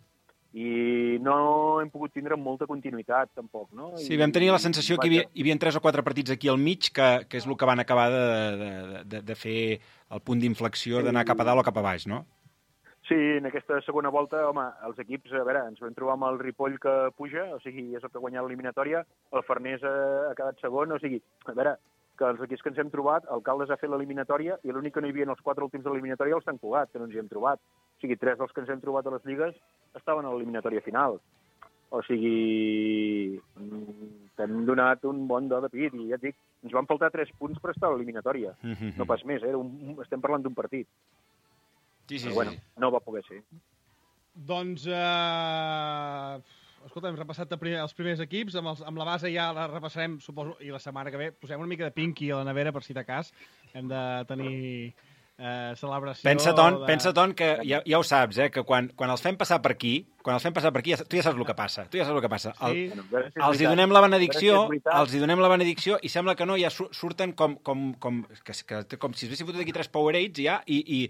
i no hem pogut tindre molta continuïtat, tampoc, no? Sí, vam tenir la sensació que hi havia 3 o 4 partits aquí al mig, que és el que van acabar de fer el punt d'inflexió d'anar cap a dalt o cap a baix, no? Sí, en aquesta segona volta, home, els equips, a veure, ens vam trobar amb el Ripoll que puja, o sigui, és el que ha guanyat l'eliminatòria, el Farners ha quedat segon, o sigui, a veure, que els equips que ens hem trobat, el Caldes ha fet l'eliminatòria i l'únic que no hi havia en els 4 últims de l'eliminatòria el Sant Cugat, que no ens hi hem trobat. O sigui, 3 dels que ens hem trobat a les lligues estaven a l'eliminatòria final. O sigui, t'hem donat un bon do de pit i ja et dic, ens van faltar 3 punts per estar a l'eliminatòria. No pas més, estem parlant d'un partit. Sí. Però, bueno, no va poder ser. Doncs, escolta, hem repassat els primers equips, amb la base ja la repassarem, suposo, i la setmana que ve posem una mica de Pinky a la nevera per si de cas. Hem de tenir celebració... Pensa, Ton, que ja ho saps, que quan els fem passar per aquí, tu ja saps el que passa. Sí. Els hi donem la benedicció, i sembla que no, ja surten com si es haguessin fotut aquí 3 Powerades ja, i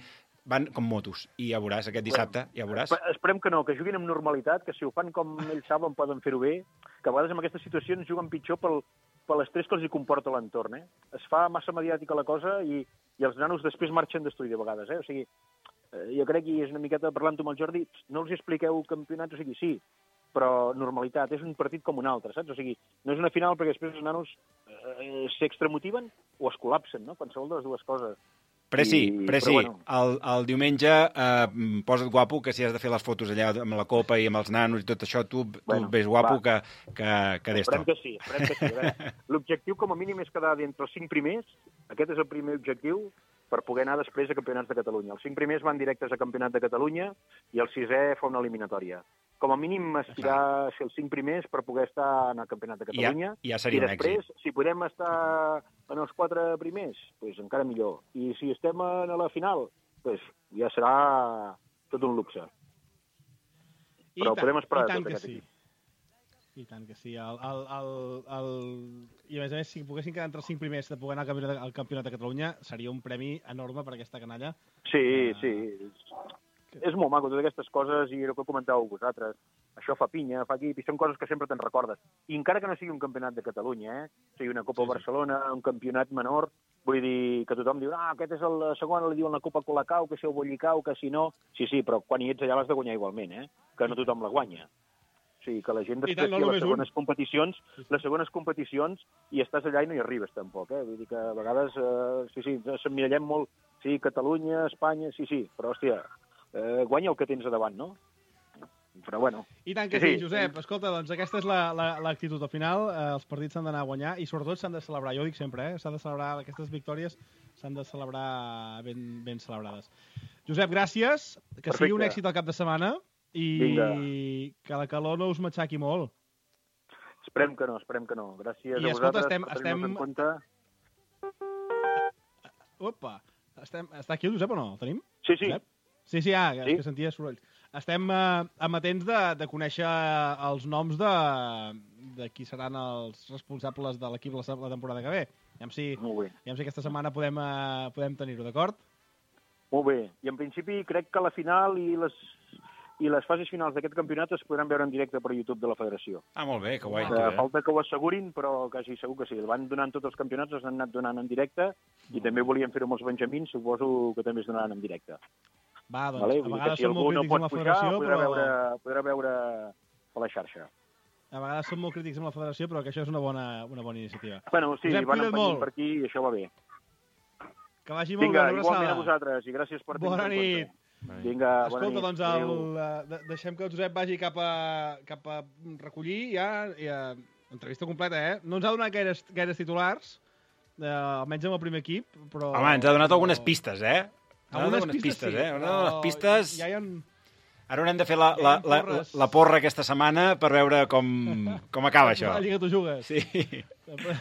van com motos, i ja veuràs aquest dissabte, ja veuràs. Esperem que no, que juguin amb normalitat, que si ho fan com ells saben poden fer-ho bé, que a vegades en aquestes situacions juguen pitjor per l'estrès que els hi comporta l'entorn. Es fa massa mediàtica la cosa i els nanos després marxen d'estudi de vegades. O sigui, jo crec que és una miqueta parlant-ho amb el Jordi, no els expliqueu campionats, o sigui, sí, però normalitat, és un partit com un altre, saps? O sigui, no és una final perquè després els nanos s'extramotiven o es col·lapsen, no? Qualsevol de les dues coses. Preci, bueno. el diumenge posa't guapo, que si has de fer les fotos allà amb la copa i amb els nanos i tot això, tu ves guapo que d'esto. Esperem que sí. L'objectiu com a mínim és quedar d'entre els 5 primers, aquest és el primer objectiu, per poder anar després a Campionats de Catalunya. Els 5 primers van directes a Campionat de Catalunya i el 6è fa una eliminatòria. Com a mínim aspirar a ser els 5 primers per poder estar en el Campionat de Catalunya. Ja seria un èxit. I després, si podem estar en els 4 primers, doncs encara millor. I si estem a la final, doncs ja serà tot un luxe. Però podem esperar tot aquest equip. I tant que sí. I a més a més, si poguessin quedar entre els 5 primers de poder anar al Campionat de Catalunya, seria un premi enorme per aquesta canalla. Sí. És molt maco, totes aquestes coses, i el que comentàveu vosaltres. Això fa pinya, fa equip, i són coses que sempre te'n recordes. I encara que no sigui un campionat de Catalunya, o sigui, una Copa Barcelona, un campionat menor, vull dir que tothom diu, aquest és el segon, li diuen la Copa Colacau, que si el Bollicau, que si no... Sí, però quan hi ets allà l'has de guanyar igualment, que no tothom la guanya. O sigui, que la gent després les segones competicions i estàs allà i no hi arribes tampoc, Vull dir que a vegades, ens emmirallem molt, sí, Catalunya, Espanya, sí, però, hòstia, guanya el que tens a davant, no? Però, bueno... I tant que sí, Josep. Escolta, doncs aquesta és l'actitud. Al final, els partits s'han d'anar a guanyar i, sobretot, s'han de celebrar. Jo ho dic sempre, s'han de celebrar aquestes victòries, s'han de celebrar ben celebrades. Josep, gràcies. Que sigui un èxit el cap de setmana i que la calor no us matxaqui molt. Esperem que no. Gràcies a vosaltres per tenir-nos en compte. Opa! Està aquí el Josep o no? El tenim? Sí. Josep? Sí, que sentia sorolls. Estem amatents de conèixer els noms de qui seran els responsables de l'equip la temporada que ve. Aviam si aquesta setmana podem tenir-ho, d'acord? Molt bé. I en principi crec que la final i les fases finals d'aquest campionat es podran veure en directe per YouTube de la Federació. Molt bé, que guai. Falta que ho assegurin, però quasi segur que sí. El van donant tots els campionats, els han anat donant en directe, i també volien fer-ho amb els benjamins, suposo que també es donaran en directe. Va, doncs, a vegades som molt crítics amb la Federació, però... Podrà veure a la xarxa. A vegades som molt crítics amb la Federació, però que això és una bona iniciativa. Bueno, sí, van empenyent per aquí i això va bé. Que vagi molt bé, una abraçada. Igualment a vosaltres, i gràcies per tenir-nos en compte. Bona nit. Vinga, bona nit. Escolta, doncs deixem que el Josep vagi cap a recollir ja entrevista completa, No ens ha donat gaires titulars, almenys amb el primer equip, però... Home, ens ha donat algunes pistes, Algunes pistes, Algunes pistes... Ja hi ha... Ara haurem de fer la porra aquesta setmana per veure com acaba això. A la Lliga tu jugues. Sí.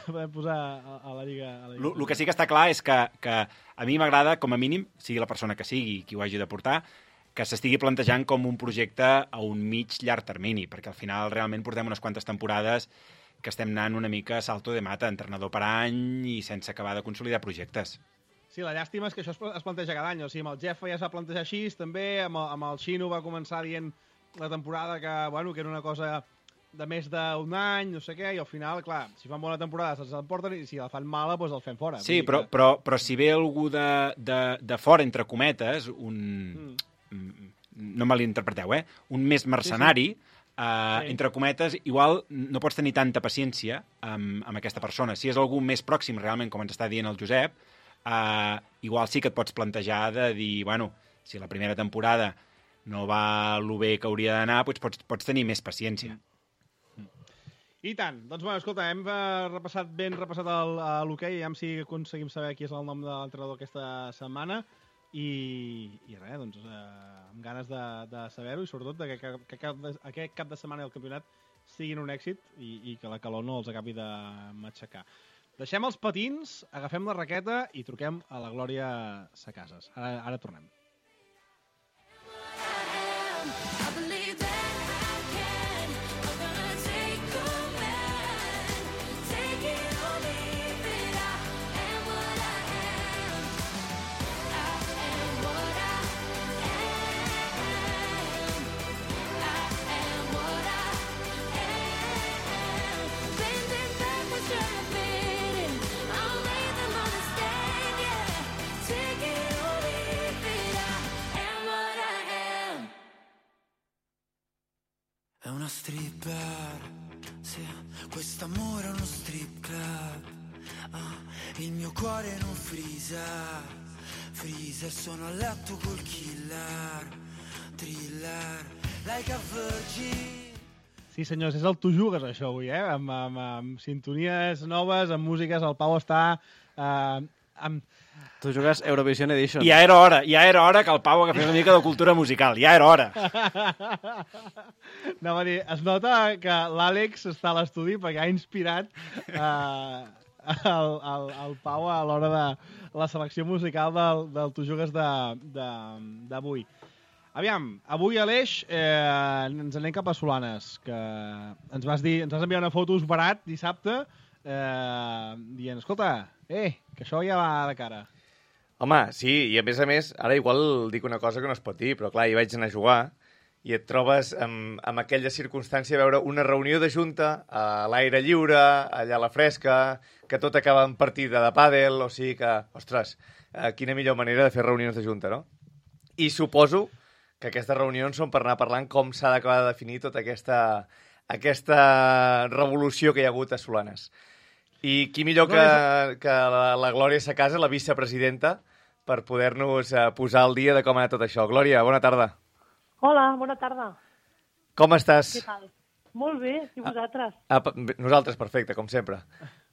Podem posar a la Lliga... El que sí que està clar és que a mi m'agrada, com a mínim, sigui la persona que sigui qui ho hagi de portar, que s'estigui plantejant com un projecte a un llarg termini, perquè al final realment portem unes quantes temporades que estem anant una mica a salto de mata, entrenador per any i sense acabar de consolidar projectes. Sí, la llàstima és que això es planteja cada any. O sigui, amb el Jeff ja es va plantejar així, també, amb el Xino va començar dient la temporada que era una cosa de més d'un any, no sé què, i al final, clar, si fan bona temporada se'ls emporten i si la fan mala, doncs el fem fora. Sí, però si ve algú de fora, entre cometes, no me l'interpreteu, un més mercenari, entre cometes, igual no pots tenir tanta paciència amb aquesta persona. Si és algú més pròxim, realment, com ens està dient el Josep, igual sí que et pots plantejar de dir, bueno, si la primera temporada no va lo bé que hauria d'anar, doncs pots tenir més paciència. I tant. Doncs, bueno, escolta, hem repassat l'hoquei, ja si aconseguim saber qui és el nom de l'entrenador aquesta setmana, i res, doncs, amb ganes de saber-ho, i sobretot que aquest cap de setmana del campionat siguin un èxit i que la calor no els acabi de matxacar. Deixem els patins, agafem la raqueta i truquem a la Glòria Sacases. Ara tornem. È una stripper, sì, quest'amore è uno strip club. Il mio cuore non freezer, sono a letto col killer, thriller, like a virgin. Sí, senyors, és el Tu Jugues, això, avui, amb sintonies noves, amb músiques, el Pau està amb... Tu jugues Eurovision Edition. Ja era hora que el Pau agafés una mica de cultura musical, ja era hora. No, va dir, es nota que l'Àlex està a l'estudi perquè ha inspirat el Pau a l'hora de la selecció musical del Tu Jugues d'avui. Aviam, avui a l'Eix ens anem cap a Solanes, que ens vas enviar una foto barat dissabte dient, escolta, que això ja va de cara. Home, sí, i a més, ara igual dic una cosa que no es pot dir, però clar, hi vaig anar a jugar i et trobes amb aquella circumstància de veure una reunió de junta a l'aire lliure, allà a la fresca, que tot acaba en partida de pàdel, o sigui que, ostres, quina millor manera de fer reunions de junta, no? I suposo que aquestes reunions són per anar parlant com s'ha d'acabar de definir tota aquesta revolució que hi ha hagut a Solanes. I qui millor que la Glòria Sacasa, la vicepresidenta, per poder-nos posar al dia de com ha anat tot això. Glòria, bona tarda. Hola, bona tarda. Com estàs? Què tal? Molt bé, i vosaltres? Nosaltres, perfecte, com sempre.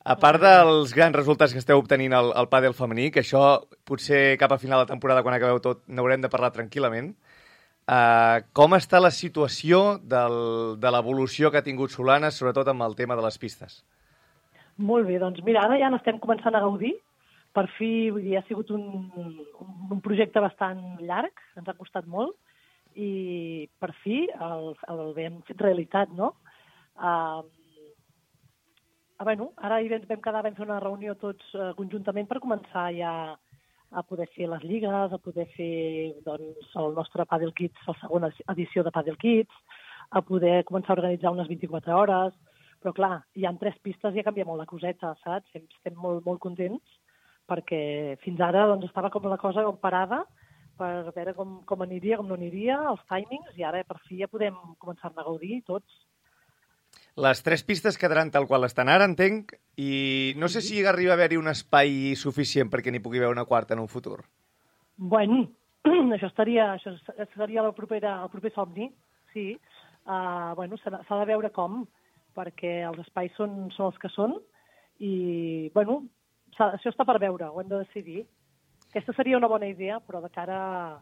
A part dels grans resultats que esteu obtenint al pàdel femení, que això potser cap a final de temporada, quan acabeu tot, n'haurem de parlar tranquil·lament, com està la situació de l'evolució que ha tingut Solanes, sobretot amb el tema de les pistes? Molt bé, doncs mira, ara ja n'estem començant a gaudir. Per fi, vull dir, ha sigut un projecte bastant llarg, ens ha costat molt, i per fi el hem fet realitat, no? Bueno, ara vam quedar, vam fer una reunió tots conjuntament per començar ja a poder fer les lligues, a poder fer doncs, el nostre Padel Kids, la segona edició de Padel Kids, a poder començar a organitzar unes 24 hores, però clar, hi ha 3 pistes i ja canvia molt la coseta, saps? Estem molt, molt contents, perquè fins ara doncs, estava com la cosa parada per veure com aniria, com no aniria, els timings, i ara per fi ja podem començar a gaudir tots. Les 3 pistes quedaran tal qual estan ara, entenc, i no sé si arriba a haver-hi un espai suficient perquè n'hi pugui haver una quarta en un futur. Bueno, això seria el proper somni, sí. Bueno, s'ha de veure com, perquè els espais són els que són, i, bueno, això està per veure, ho hem de decidir. Aquesta seria una bona idea, però de cara,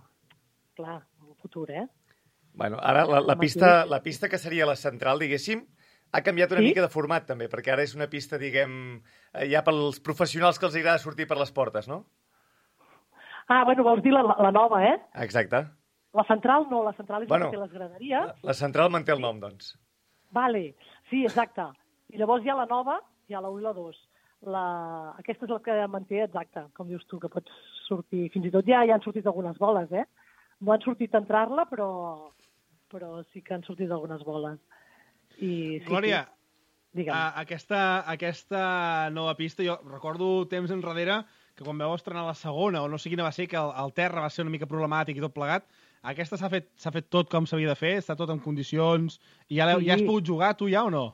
clar, un futur, Bueno, ara la pista que seria la central, diguéssim, ha canviat una mica de format, també, perquè ara és una pista, diguem, ja pels professionals que els agrada sortir per les portes, no? Bueno, vols dir la nova, Exacte. La central no, la central és la que té les graderies. La central manté el nom, doncs. Vale, sí, exacte. I llavors hi ha la nova, hi ha la 1 i la 2. Aquesta és la que manté, exacte, com dius tu, que pots sortir. Fins i tot ja han sortit algunes boles, No han sortit a entrar-la, però sí que han sortit algunes boles. I, sí, Glòria, sí. Aquesta nova pista, jo recordo temps enrere que quan vau estrenar la segona, o no sé quina va ser, que el terra va ser una mica problemàtic i tot plegat, Aquesta s'ha fet tot com s'havia de fer? Està tot en condicions? I ja has pogut jugar, tu ja, o no?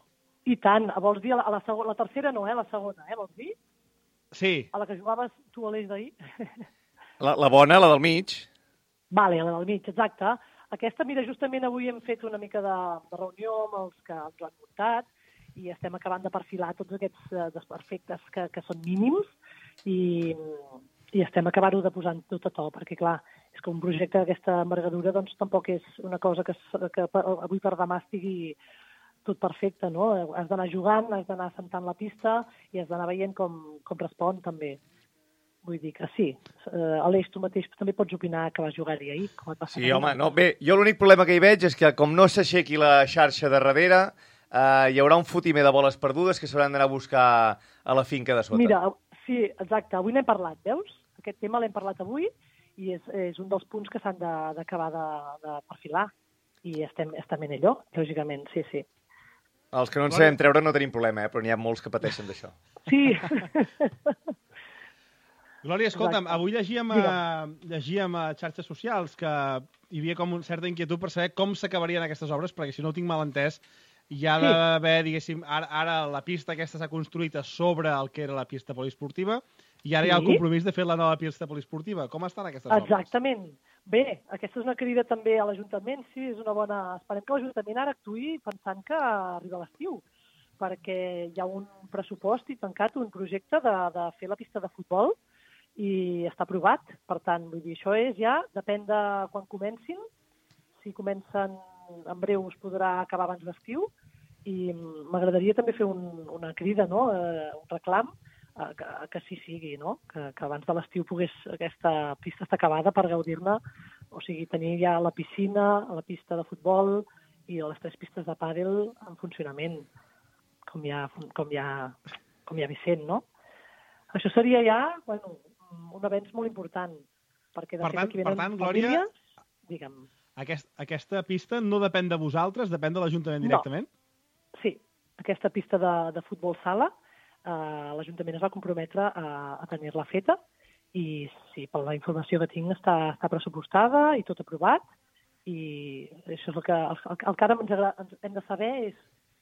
I tant. Vols dir la tercera no, la segona, vols dir? Sí. A la que jugaves tu a l'eix d'ahir? La bona, la del mig. Vale, la del mig, exacte. Aquesta, mira, justament avui hem fet una mica de reunió amb els que ens ho han muntat i estem acabant de perfilar tots aquests desperfectes que són mínims i estem acabant-ho de posar tot a to, perquè, clar, és que un projecte d'aquesta envergadura doncs tampoc és una cosa que avui per demà estigui tot perfecte, no? Has d'anar jugant, has d'anar assentant la pista i has d'anar veient com respon també. Vull dir que sí. Aleix, tu mateix també pots opinar que vas jugar-hi ahir. Sí, home, no. Bé, jo l'únic problema que hi veig és que com no s'aixequi la xarxa de darrere, hi haurà un fotimer de boles perdudes que s'hauran d'anar a buscar a la finca de sota. Mira, sí, exacte. Avui n'hem parlat, veus? Aquest tema l'hem parlat avui i és un dels punts que s'han d'acabar de perfilar. I estem en allò, lògicament, sí. Els que no en sabem treure no tenim problema, però n'hi ha molts que pateixen d'això. Sí. Glòria, escolta'm, avui llegíem a xarxes socials que hi havia com una certa inquietud per saber com s'acabarien aquestes obres, perquè si no ho tinc mal entès, hi ha d'haver, diguéssim, ara la pista aquesta s'ha construït a sobre el que era la pista poliesportiva i ara hi ha el compromís de fer la nova pista poliesportiva. Com estan aquestes obres? Exactament. Bé, aquesta és una crida també a l'Ajuntament, sí, és una bona... Esperem que l'Ajuntament ara actuï pensant que arriba l'estiu, perquè hi ha un pressupost i tancat, un projecte de fer la pista de futbol i està aprovat. Per tant, vull dir, això depèn de quan comencin. Si comencen en breu es podrà acabar abans d'estiu i m'agradaria també fer una crida, no? Un reclam que sí sigui, no? Que abans de l'estiu aquesta pista està acabada per gaudir-ne, o sigui, tenir ja la piscina, la pista de futbol i les 3 pistes de pàdel en funcionament, com ja Vicent, no? Això seria ja, bueno, un avenç molt important, perquè de fet aquí venen Glòria, famílies, digue'm. Aquesta pista no depèn de vosaltres, depèn de l'Ajuntament directament? Sí, aquesta pista de futbol sala, l'Ajuntament es va comprometre a tenir-la feta i sí, per la informació que tinc està pressupostada i tot aprovat i això és el que ara ens hem de saber és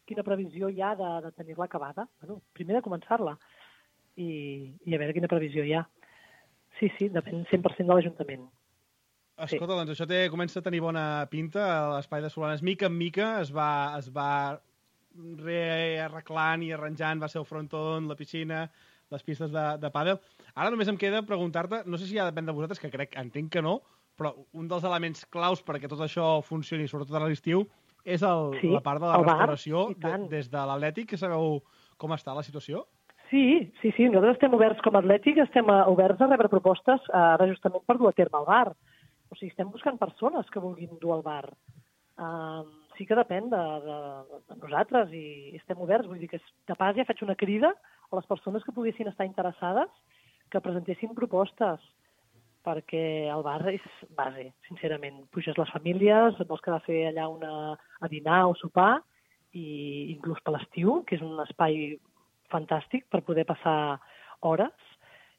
quina previsió hi ha de tenir-la acabada. Bueno, primer de començar-la i a veure quina previsió hi ha. Sí, depèn 100% de l'Ajuntament. Escolta, doncs això comença a tenir bona pinta. L'Espai de Solanes, mica en mica, es va rearreglant i arranjant, va ser el fronton, la piscina, les pistes de pàdel. Ara només em queda preguntar-te, no sé si ja depèn de vosaltres, que entenc que no, però un dels elements claus perquè tot això funcioni, sobretot a l'estiu, és la part de la restauració des de l'Atlètic, que sabeu com està la situació? Sí, nosaltres estem oberts com a Atlètic, estem oberts a rebre propostes ara justament per dur a terme al bar. O sigui, estem buscant persones que vulguin dur al bar. Sí que depèn de nosaltres i estem oberts. Vull dir que de pas ja faig una crida a les persones que poguessin estar interessades que presentessin propostes, perquè el bar és base, sincerament. Puges les famílies, vols quedar a fer allà a dinar o sopar, i inclús per l'estiu, que és un espai fantàstic per poder passar hores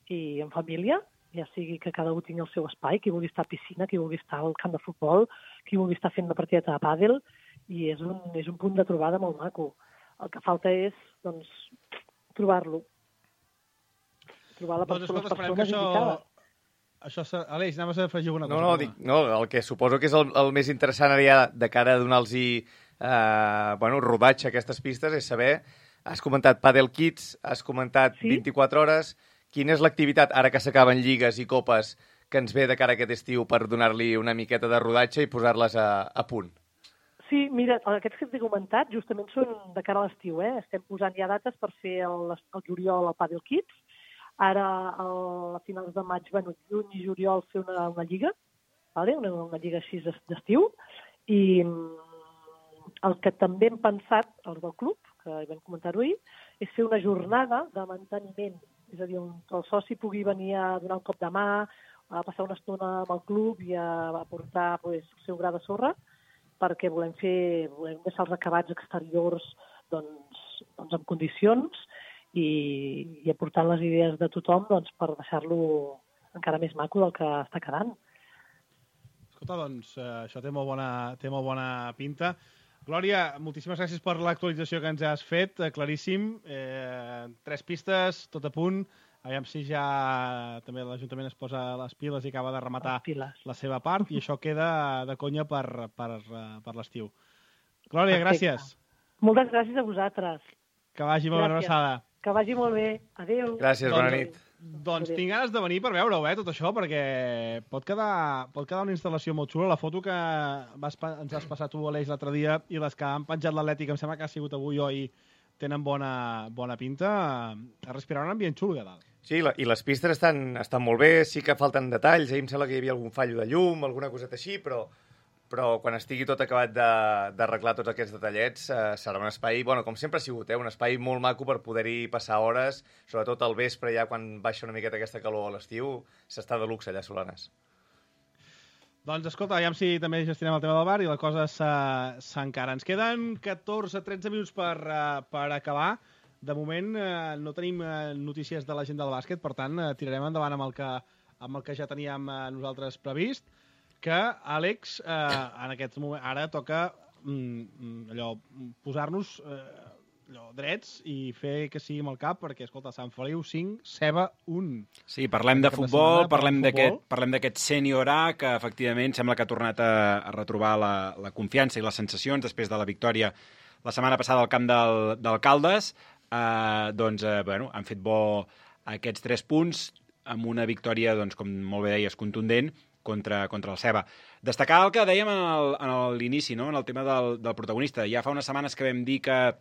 i en família, ja sigui que cada un tingui el seu espai, qui vulgui estar a piscina, qui vulgui estar al camp de futbol, qui vulgui estar fent una partida de pàdel, i és un punt de trobada molt maco. El que falta és, doncs, trobar-lo. Trobar les persones indicades. Aleix, anaves a afegir alguna cosa? No, el que suposo que és el més interessant ara ja de cara a donar-los rodatge a aquestes pistes és saber, has comentat Padel Kids, has comentat 24 hores, quina és l'activitat, ara que s'acaben lligues i copes, que ens ve de cara a aquest estiu per donar-li una miqueta de rodatge i posar-les a punt? Sí, mira, aquests que t'he comentat justament són de cara a l'estiu, Estem posant ja dates per fer el juliol al Padel Kids. Ara, a finals de maig, juny i juliol, fer una lliga, una lliga així d'estiu. I el que també hem pensat, els del club, que vam comentar-ho ahir, és fer una jornada de manteniment. És a dir, el soci pugui venir a donar un cop de mà, a passar una estona amb el club i a portar el seu gra de sorra, perquè volem deixar els acabats exteriors en condicions i aportant les idees de tothom per deixar-lo encara més maco del que està quedant. Escolta, Escolta, doncs això té molt bona pinta. Glòria, moltíssimes gràcies per l'actualització que ens has fet, claríssim. 3 pistes, tot a punt. Aviam si ja també l'Ajuntament es posa les piles i acaba de rematar la seva part, i això queda de conya per l'estiu. Glòria, gràcies. Moltes gràcies a vosaltres. Que vagi molt ben abraçada. Que vagi molt bé. Adéu. Gràcies, bona nit. Doncs tinc ganes de venir per veure-ho, tot això, perquè pot quedar una instal·lació molt xula. La foto que ens has passat tu, Aleix, l'altre dia, i les que han penjat l'Atlètic, em sembla que ha sigut avui o ahir, tenen bona pinta. A respirar un ambient xulo, a dalt. Sí, i les pistes estan molt bé, sí que falten detalls. Ahir em sembla que hi havia algun fallo de llum, alguna coseta així, però quan estigui tot acabat d'arreglar tots aquests detallets, serà un espai, com sempre ha sigut, un espai molt maco per poder-hi passar hores, sobretot al vespre, ja quan baixa una miqueta aquesta calor a l'estiu, s'està de luxe allà a Solanes. Doncs escolta, aviam si també gestionem el tema del bar i la cosa s'encara. Ens queden 14-13 minuts per acabar. De moment no tenim notícies de la gent del bàsquet, per tant tirarem endavant amb el que ja teníem nosaltres previst, que, Àlex, en aquest moment ara toca posar-nos drets i fer que sigui amb el cap, perquè, escolta, Sant Feliu 5, Ceba 1. Sí, parlem de futbol, parlem d'aquest sènior A, que efectivament sembla que ha tornat a retrobar la confiança i les sensacions després de la victòria la setmana passada al camp del Caldes. Han fet bo aquests 3 punts amb una victòria, com molt bé deies, contundent contra el Ceba. Destacar el que dèiem en l'inici, no? En el tema del protagonista. Ja fa unes setmanes que vam dir que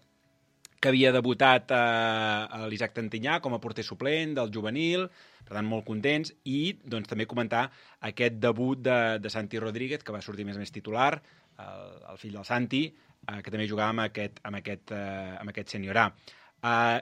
havia debutat l'Isaac Tantinyà com a porter suplent del juvenil, per tant, molt contents, i també comentar aquest debut de Santi Rodríguez, que va sortir més titular, el fill del Santi, que també jugava amb aquest sènior A.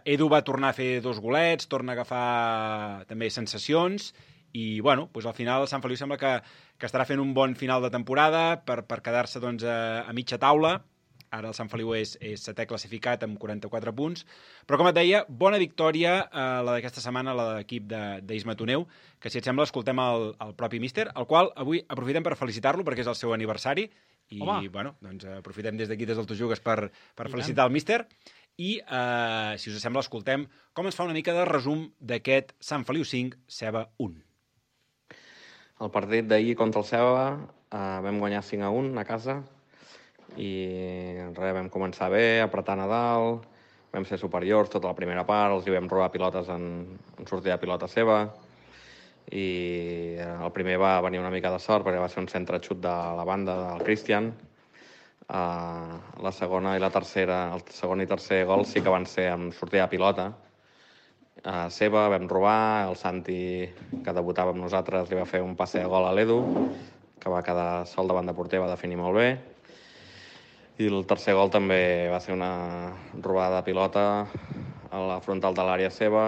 Edu va tornar a fer 2 golets, torna a agafar també sensacions, i al final el Sant Feliu sembla que estarà fent un bon final de temporada per quedar-se a mitja taula. Ara el Sant Feliu és 7è classificat amb 44 punts, però com et deia, bona victòria la d'aquesta setmana, la de l'equip d'Isma Toneu, que si et sembla escoltem el propi míster, el qual avui aprofitem per felicitar-lo perquè és el seu aniversari, i aprofitem des d'aquí, des del Tu Jugues, per felicitar el míster. I, si us sembla, escoltem com ens fa una mica de resum d'aquest Sant Feliu 5, Ceba 1. El partit d'ahir contra el Ceba vam guanyar 5-1 a casa i vam començar bé, apretant a dalt, vam ser superiors tota la primera part, els hi vam robar pilotes en sortida de pilota seva i el primer va venir una mica de sort perquè va ser un centre xut de la banda del Cristian. La segona i la tercera, el segon i tercer gol sí que van ser amb sortida de pilota seva, vam robar, el Santi, que debutava amb nosaltres, li va fer un passe de gol a l'Edu, que va quedar sol davant de porter, va definir molt bé. I el tercer gol també va ser una robada de pilota a la frontal de l'àrea seva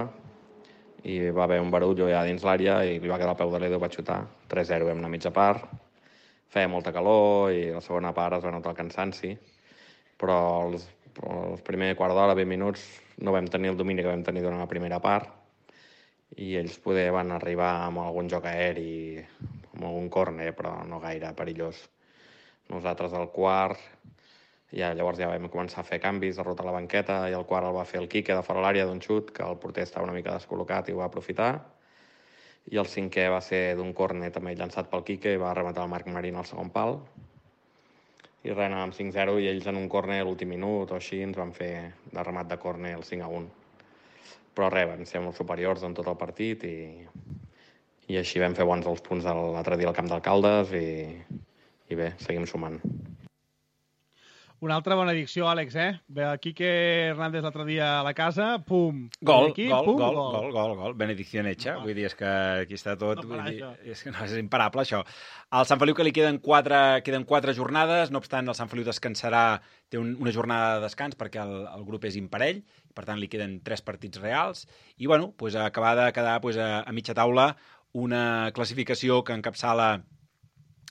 i va haver un barullo ja dins l'àrea i li va quedar al peu de l'Edu, va xutar. 3-0, vam anar a mitja part. Feia molta calor i la segona part es va notar el cansanci, però els primers quart d'hora, 20 minuts, no vam tenir el domini que vam tenir durant la primera part i ells poder van arribar amb algun joc aeri, amb algun córner, però no gaire perillós. Nosaltres al quart, llavors ja vam començar a fer canvis, a rotar la banqueta, i al quart el va fer el Quique de fora l'àrea d'un xut, que el porter estava una mica descol·locat i ho va aprofitar. I el cinquè va ser d'un córner també llançat pel Quique i va rematar el Marc Marín al segon pal. I res, anàvem 5-0 i ells en un córner a l'últim minut o així ens van fer de remat de córner el 5-1. Però res, vam ser molt superiors en tot el partit i així vam fer bons els punts l'altre dia al camp d'Alcaldes i bé, seguim sumant. Una altra bona edició, Àlex, Ve el Quique Hernández l'altre dia a la casa, pum! Gol. Benedicció hecha. Vull dir, és que aquí està tot... És imparable, això. Al Sant Feliu que li queden 4 jornades, no obstant, el Sant Feliu descansarà, té una jornada de descans perquè el grup és imparell, per tant, li queden 3 partits reals, i, acabar de quedar a mitja taula una classificació que encapçala,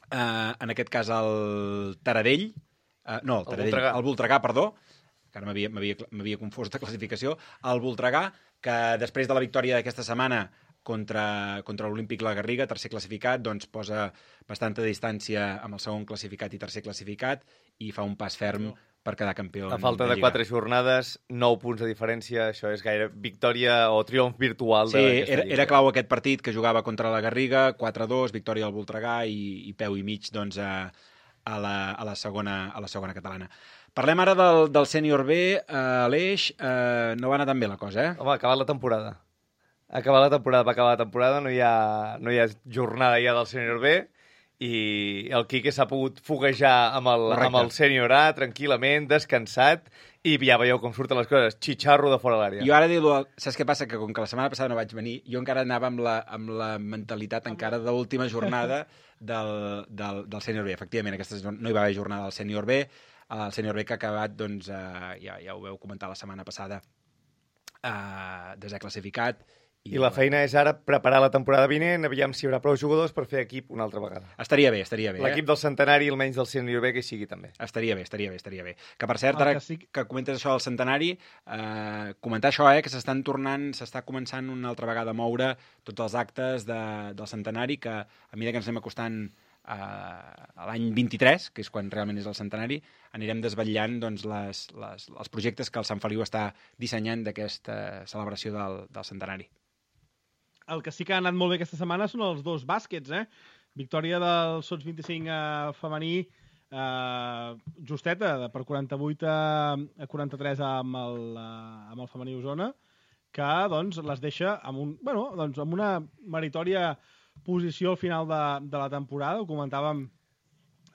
en aquest cas, el Taradell, el Voltregà, perdó, que ara m'havia confós de classificació, el Voltregà, que després de la victòria d'aquesta setmana contra l'Olímpic La Garriga, tercer classificat, doncs posa bastanta distància amb el segon classificat i tercer classificat i fa un pas ferm per quedar campió. A falta de 4 jornades, 9 punts de diferència, això és gaire victòria o triomf virtual d'aquesta lliga. Era clau aquest partit que jugava contra la Garriga, 4-2, victòria del Voltregà i peu i mig doncs, a la segona catalana. Parlem ara del sènior B, Aleix, no va anar tan bé la cosa, Home, ha acabat la temporada. Va acabar la temporada, no hi ha jornada ja del sènior B, i el Quique s'ha pogut foguejar amb el sènior A tranquil·lament, descansat, i ja veieu com surten les coses, xitxarro de fora l'àrea. Jo ara dir-lo, saps què passa? Que com que la setmana passada no vaig venir, jo encara anava amb la mentalitat encara de l'última jornada del sènior B. Efectivament, no hi va haver jornada del sènior B, el sènior B que ha acabat, doncs, ja ho veu comentar la setmana passada, desè classificat. I la feina és ara preparar la temporada vinent, aviam si hi haurà prou jugadors per fer equip una altra vegada. Estaria bé. L'equip del Centenari, almenys del sènior B, que hi sigui també. Estaria bé. Que, per cert, ara que comentes això del Centenari, comentar això, que s'està començant una altra vegada a moure tots els actes del Centenari, que a mesura que ens anem acostant a l'any 23, que és quan realment és el centenari, anirem desvetllant doncs, els projectes que el Sant Feliu està dissenyant d'aquesta celebració del centenari. El que sí que ha anat molt bé aquesta setmana són els dos bàsquets, Victòria del Sots 25 femení, justeta, per 48 a 43 amb el femení Osona, que doncs, les deixa amb una meritòria posició al final de la temporada. Ho comentàvem,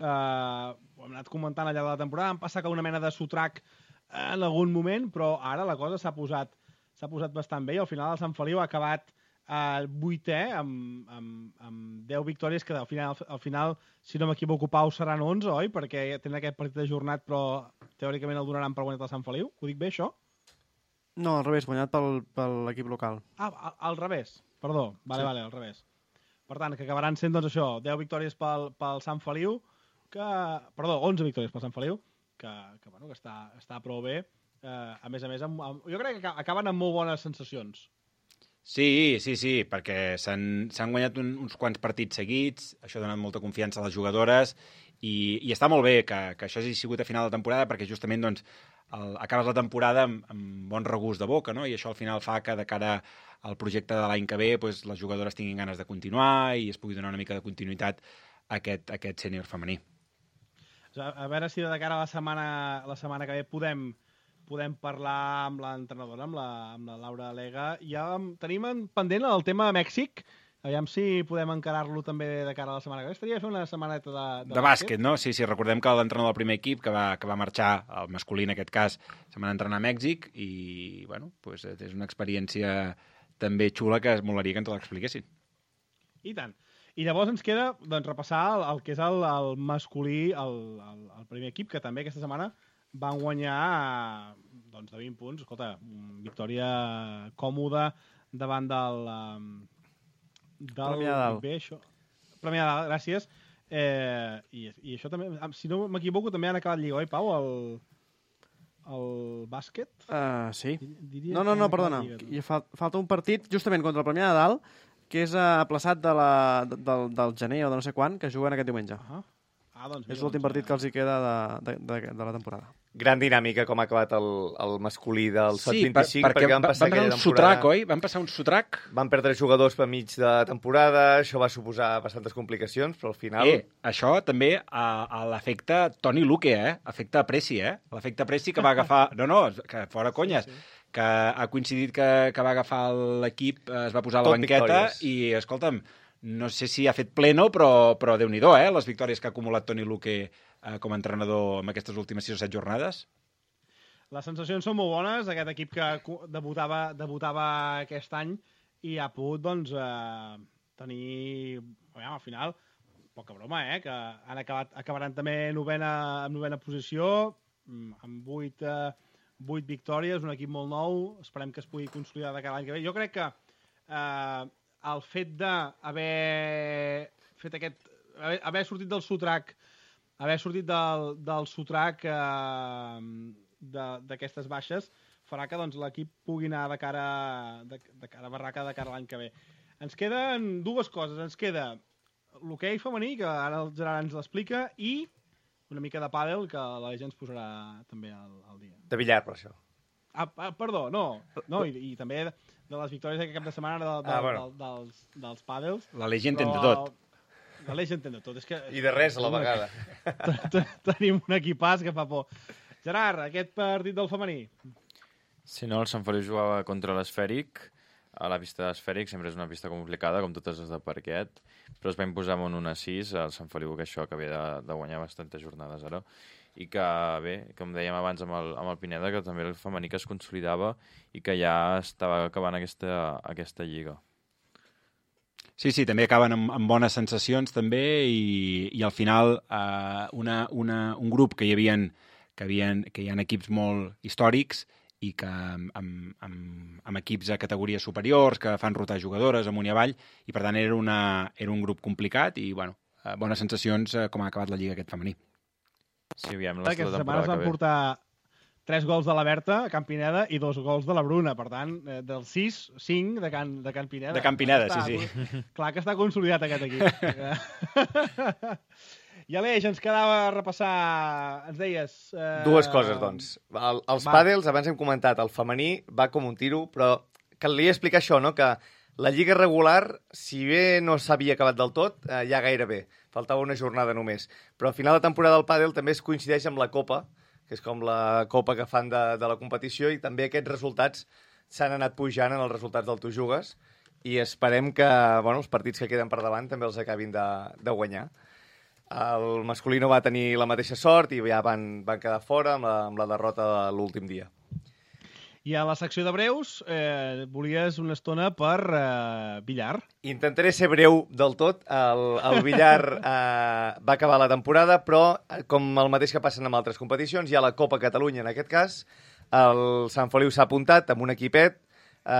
ho hem anat comentant al llarg de la temporada, han passat una mena de sotrac en algun moment, però ara la cosa s'ha posat bastant bé i al final el Sant Feliu ha acabat el 8è amb 10 victòries, que al final, si no m'equivoco, Pau, seran 11, oi? Perquè tenen aquest partit ajornat, però teòricament el donaran per guanyat el Sant Feliu. Ho dic bé, això? No, al revés, guanyat per l'equip local. Al revés, perdó. Vale, al revés. Per tant, que acabaran sent, doncs, això, 10 victòries pel Sant Feliu, 11 victòries pel Sant Feliu, que està prou bé. A més, jo crec que acaben amb molt bones sensacions. Sí, perquè s'han guanyat uns quants partits seguits, això ha donat molta confiança a les jugadores i està molt bé que això hagi sigut a final de temporada perquè justament doncs, acabes la temporada amb bon regust de boca, no? I això al final fa que de cara al projecte de l'any que ve doncs, les jugadores tinguin ganes de continuar i es pugui donar una mica de continuïtat a aquest sènior femení. A veure si de cara a la setmana que ve podem parlar amb l'entrenadora, amb la Laura Lega. Ja tenim pendent el tema de Mèxic, aviam si podem encarar-lo també de cara a la setmana que ve. Estaria fer una setmaneta de bàsquet, no? Sí, recordem que l'entrenador del primer equip, que va marxar, el masculí en aquest cas, se'n va entrenar a Mèxic i, bueno, pues, és una experiència també xula que es molaria que ens l'expliquessin. I tant. I llavors ens queda doncs, repassar el que és el masculí, el primer equip, que també aquesta setmana van guanyar doncs, de 20 punts. Escolta, victòria còmoda davant del Premià Dalt. Premià Dalt, gràcies. I això també, si no m'equivoco, també han acabat lliga, oi, Pau, el bàsquet? Sí. No, perdona. Falta un partit justament contra el Premià de Dalt, que és aplaçat del gener o de no sé quan, que juguen aquest diumenge. Doncs és l'últim partit que els hi queda de la temporada. Gran dinàmica com ha acabat el masculí del Sots 25, perquè van passar aquella temporada... sotrac, oi? Van passar un sotrac? Van perdre jugadors per mig de temporada, això va suposar bastantes complicacions, però al final... Això també a l'efecte Toni Luque, Efecte Preci, L'efecte Preci que va agafar... No, que fora conyes. Sí. Que ha coincidit que va agafar l'equip, es va posar a la banqueta i, escolta'm, no sé si ha fet pleno, però Déu-n'hi-do, les victòries que ha acumulat Toni Luque com a entrenador en aquestes últimes 6 o 7 jornades. Les sensacions són molt bones, aquest equip que debutava aquest any i ha pogut doncs, tenir, al final, poca broma, que acabaran també en novena posició, amb 8 victòries, un equip molt nou, esperem que es pugui consolidar de cada any que ve. Jo crec que el fet d'haver sortit del sotrac, d'aquestes baixes, farà que doncs, l'equip pugui anar de cara a barraca de cara a l'any que ve. Ens queden dues coses. Ens queda l'hoquei femení, que ara el Gerard ens l'explica, i una mica de pàdel, que la gent ens posarà també al dia. De billar, per això. Perdó, no. I també de les victòries d'aquest cap de setmana dels pàdels. L'Aleix entén de tot. L'Aleix entén de tot. I de res a la vegada. Tenim un equipàs que fa por. Gerard, aquest partit del femení? Si no, el Sant Feliu jugava contra l'Esfèric. A la pista d'Esfèric sempre és una pista complicada, com totes les de parquet, però es va imposar amb un 1-6 al Sant Feliu, que això que havia de guanyar bastantes jornades ara. I que, bé, com dèiem abans amb el Pineda, que també el femení que es consolidava i que ja estava acabant aquesta lliga. Sí, també acaben amb bones sensacions, també, i al final un grup que hi ha equips molt històrics i que amb equips a categories superiors, que fan rotar jugadores amunt i avall, i per tant era un grup complicat i, bueno, bones sensacions com ha acabat la lliga aquest femení. Sí, aviam, aquesta setmana es van portar 3 gols de la Berta a Can Pineda i 2 gols de la Bruna. Per tant, dels 6, 5 de Can Pineda. De Can Pineda, sí. Clar que està consolidat aquest equip. I Aleix, ens quedava a repassar, ens deies... Dues coses, doncs. Els pàdels, abans hem comentat, el femení va com un tiro, però calia explicar això, no?, que la lliga regular, si bé no s'havia acabat del tot, ja gairebé. Faltava una jornada només. Però al final de temporada del pàdel també es coincideix amb la Copa, que és com la Copa que fan de la competició, i també aquests resultats s'han anat pujant en els resultats del Tu Jugues, i esperem que els partits que queden per davant també els acabin de guanyar. El masculí no va tenir la mateixa sort i ja van quedar fora amb la derrota de l'últim dia. I a la secció de breus volies una estona per billar. Intentaré ser breu del tot. El billar va acabar la temporada, però com el mateix que passen amb altres competicions, hi ha la Copa Catalunya en aquest cas. El Sant Feliu s'ha apuntat amb un equipet.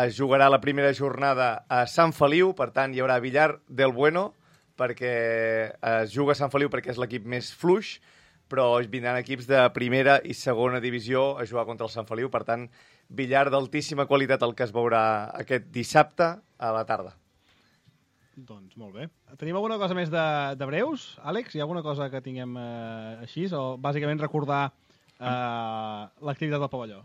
Es jugarà la primera jornada a Sant Feliu, per tant hi haurà billar del bueno, perquè es juga a Sant Feliu perquè és l'equip més fluix, però vindran equips de primera i segona divisió a jugar contra el Sant Feliu. Per tant, billar d'altíssima qualitat el que es veurà aquest dissabte a la tarda. Doncs molt bé. Tenim alguna cosa més de breus, Àlex? Hi ha alguna cosa que tinguem així? O bàsicament recordar l'activitat del pavelló?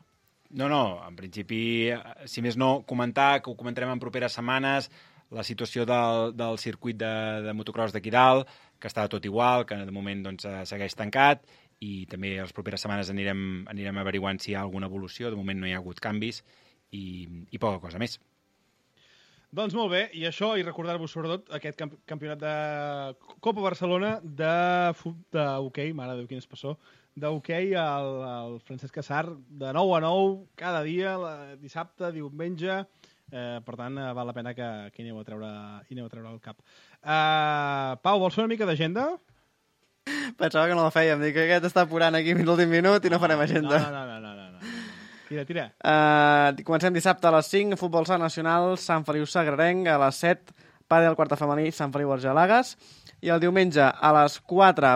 No, en principi, si més no, comentar, que ho comentarem en properes setmanes, la situació del circuit de motocross d'aquí dalt, que està tot igual, que de moment segueix tancat, i també les properes setmanes anirem averiguant si hi ha alguna evolució. De moment no hi ha hagut canvis i poca cosa més. Doncs molt bé, i això, i recordar-vos sobretot aquest campionat de Copa Barcelona d'hoquei, mare de Déu, quin espessor, d'hoquei al Francesc Cassar, de 9 a 9, cada dia, dissabte, diumenge. Per tant, val la pena que aneu a treure el cap. Pau, vols fer una mica d'agenda? Pensava que no la fèiem. Dic que aquest està apurant aquí fins l'últim minut i no farem agenda. No. Tira. Comencem dissabte a les 5, futbol sala nacional, Sant Feliu Sagrarenc, a les 7, pàdel quarta femení, Sant Feliu Argelagues, i el diumenge a les 4,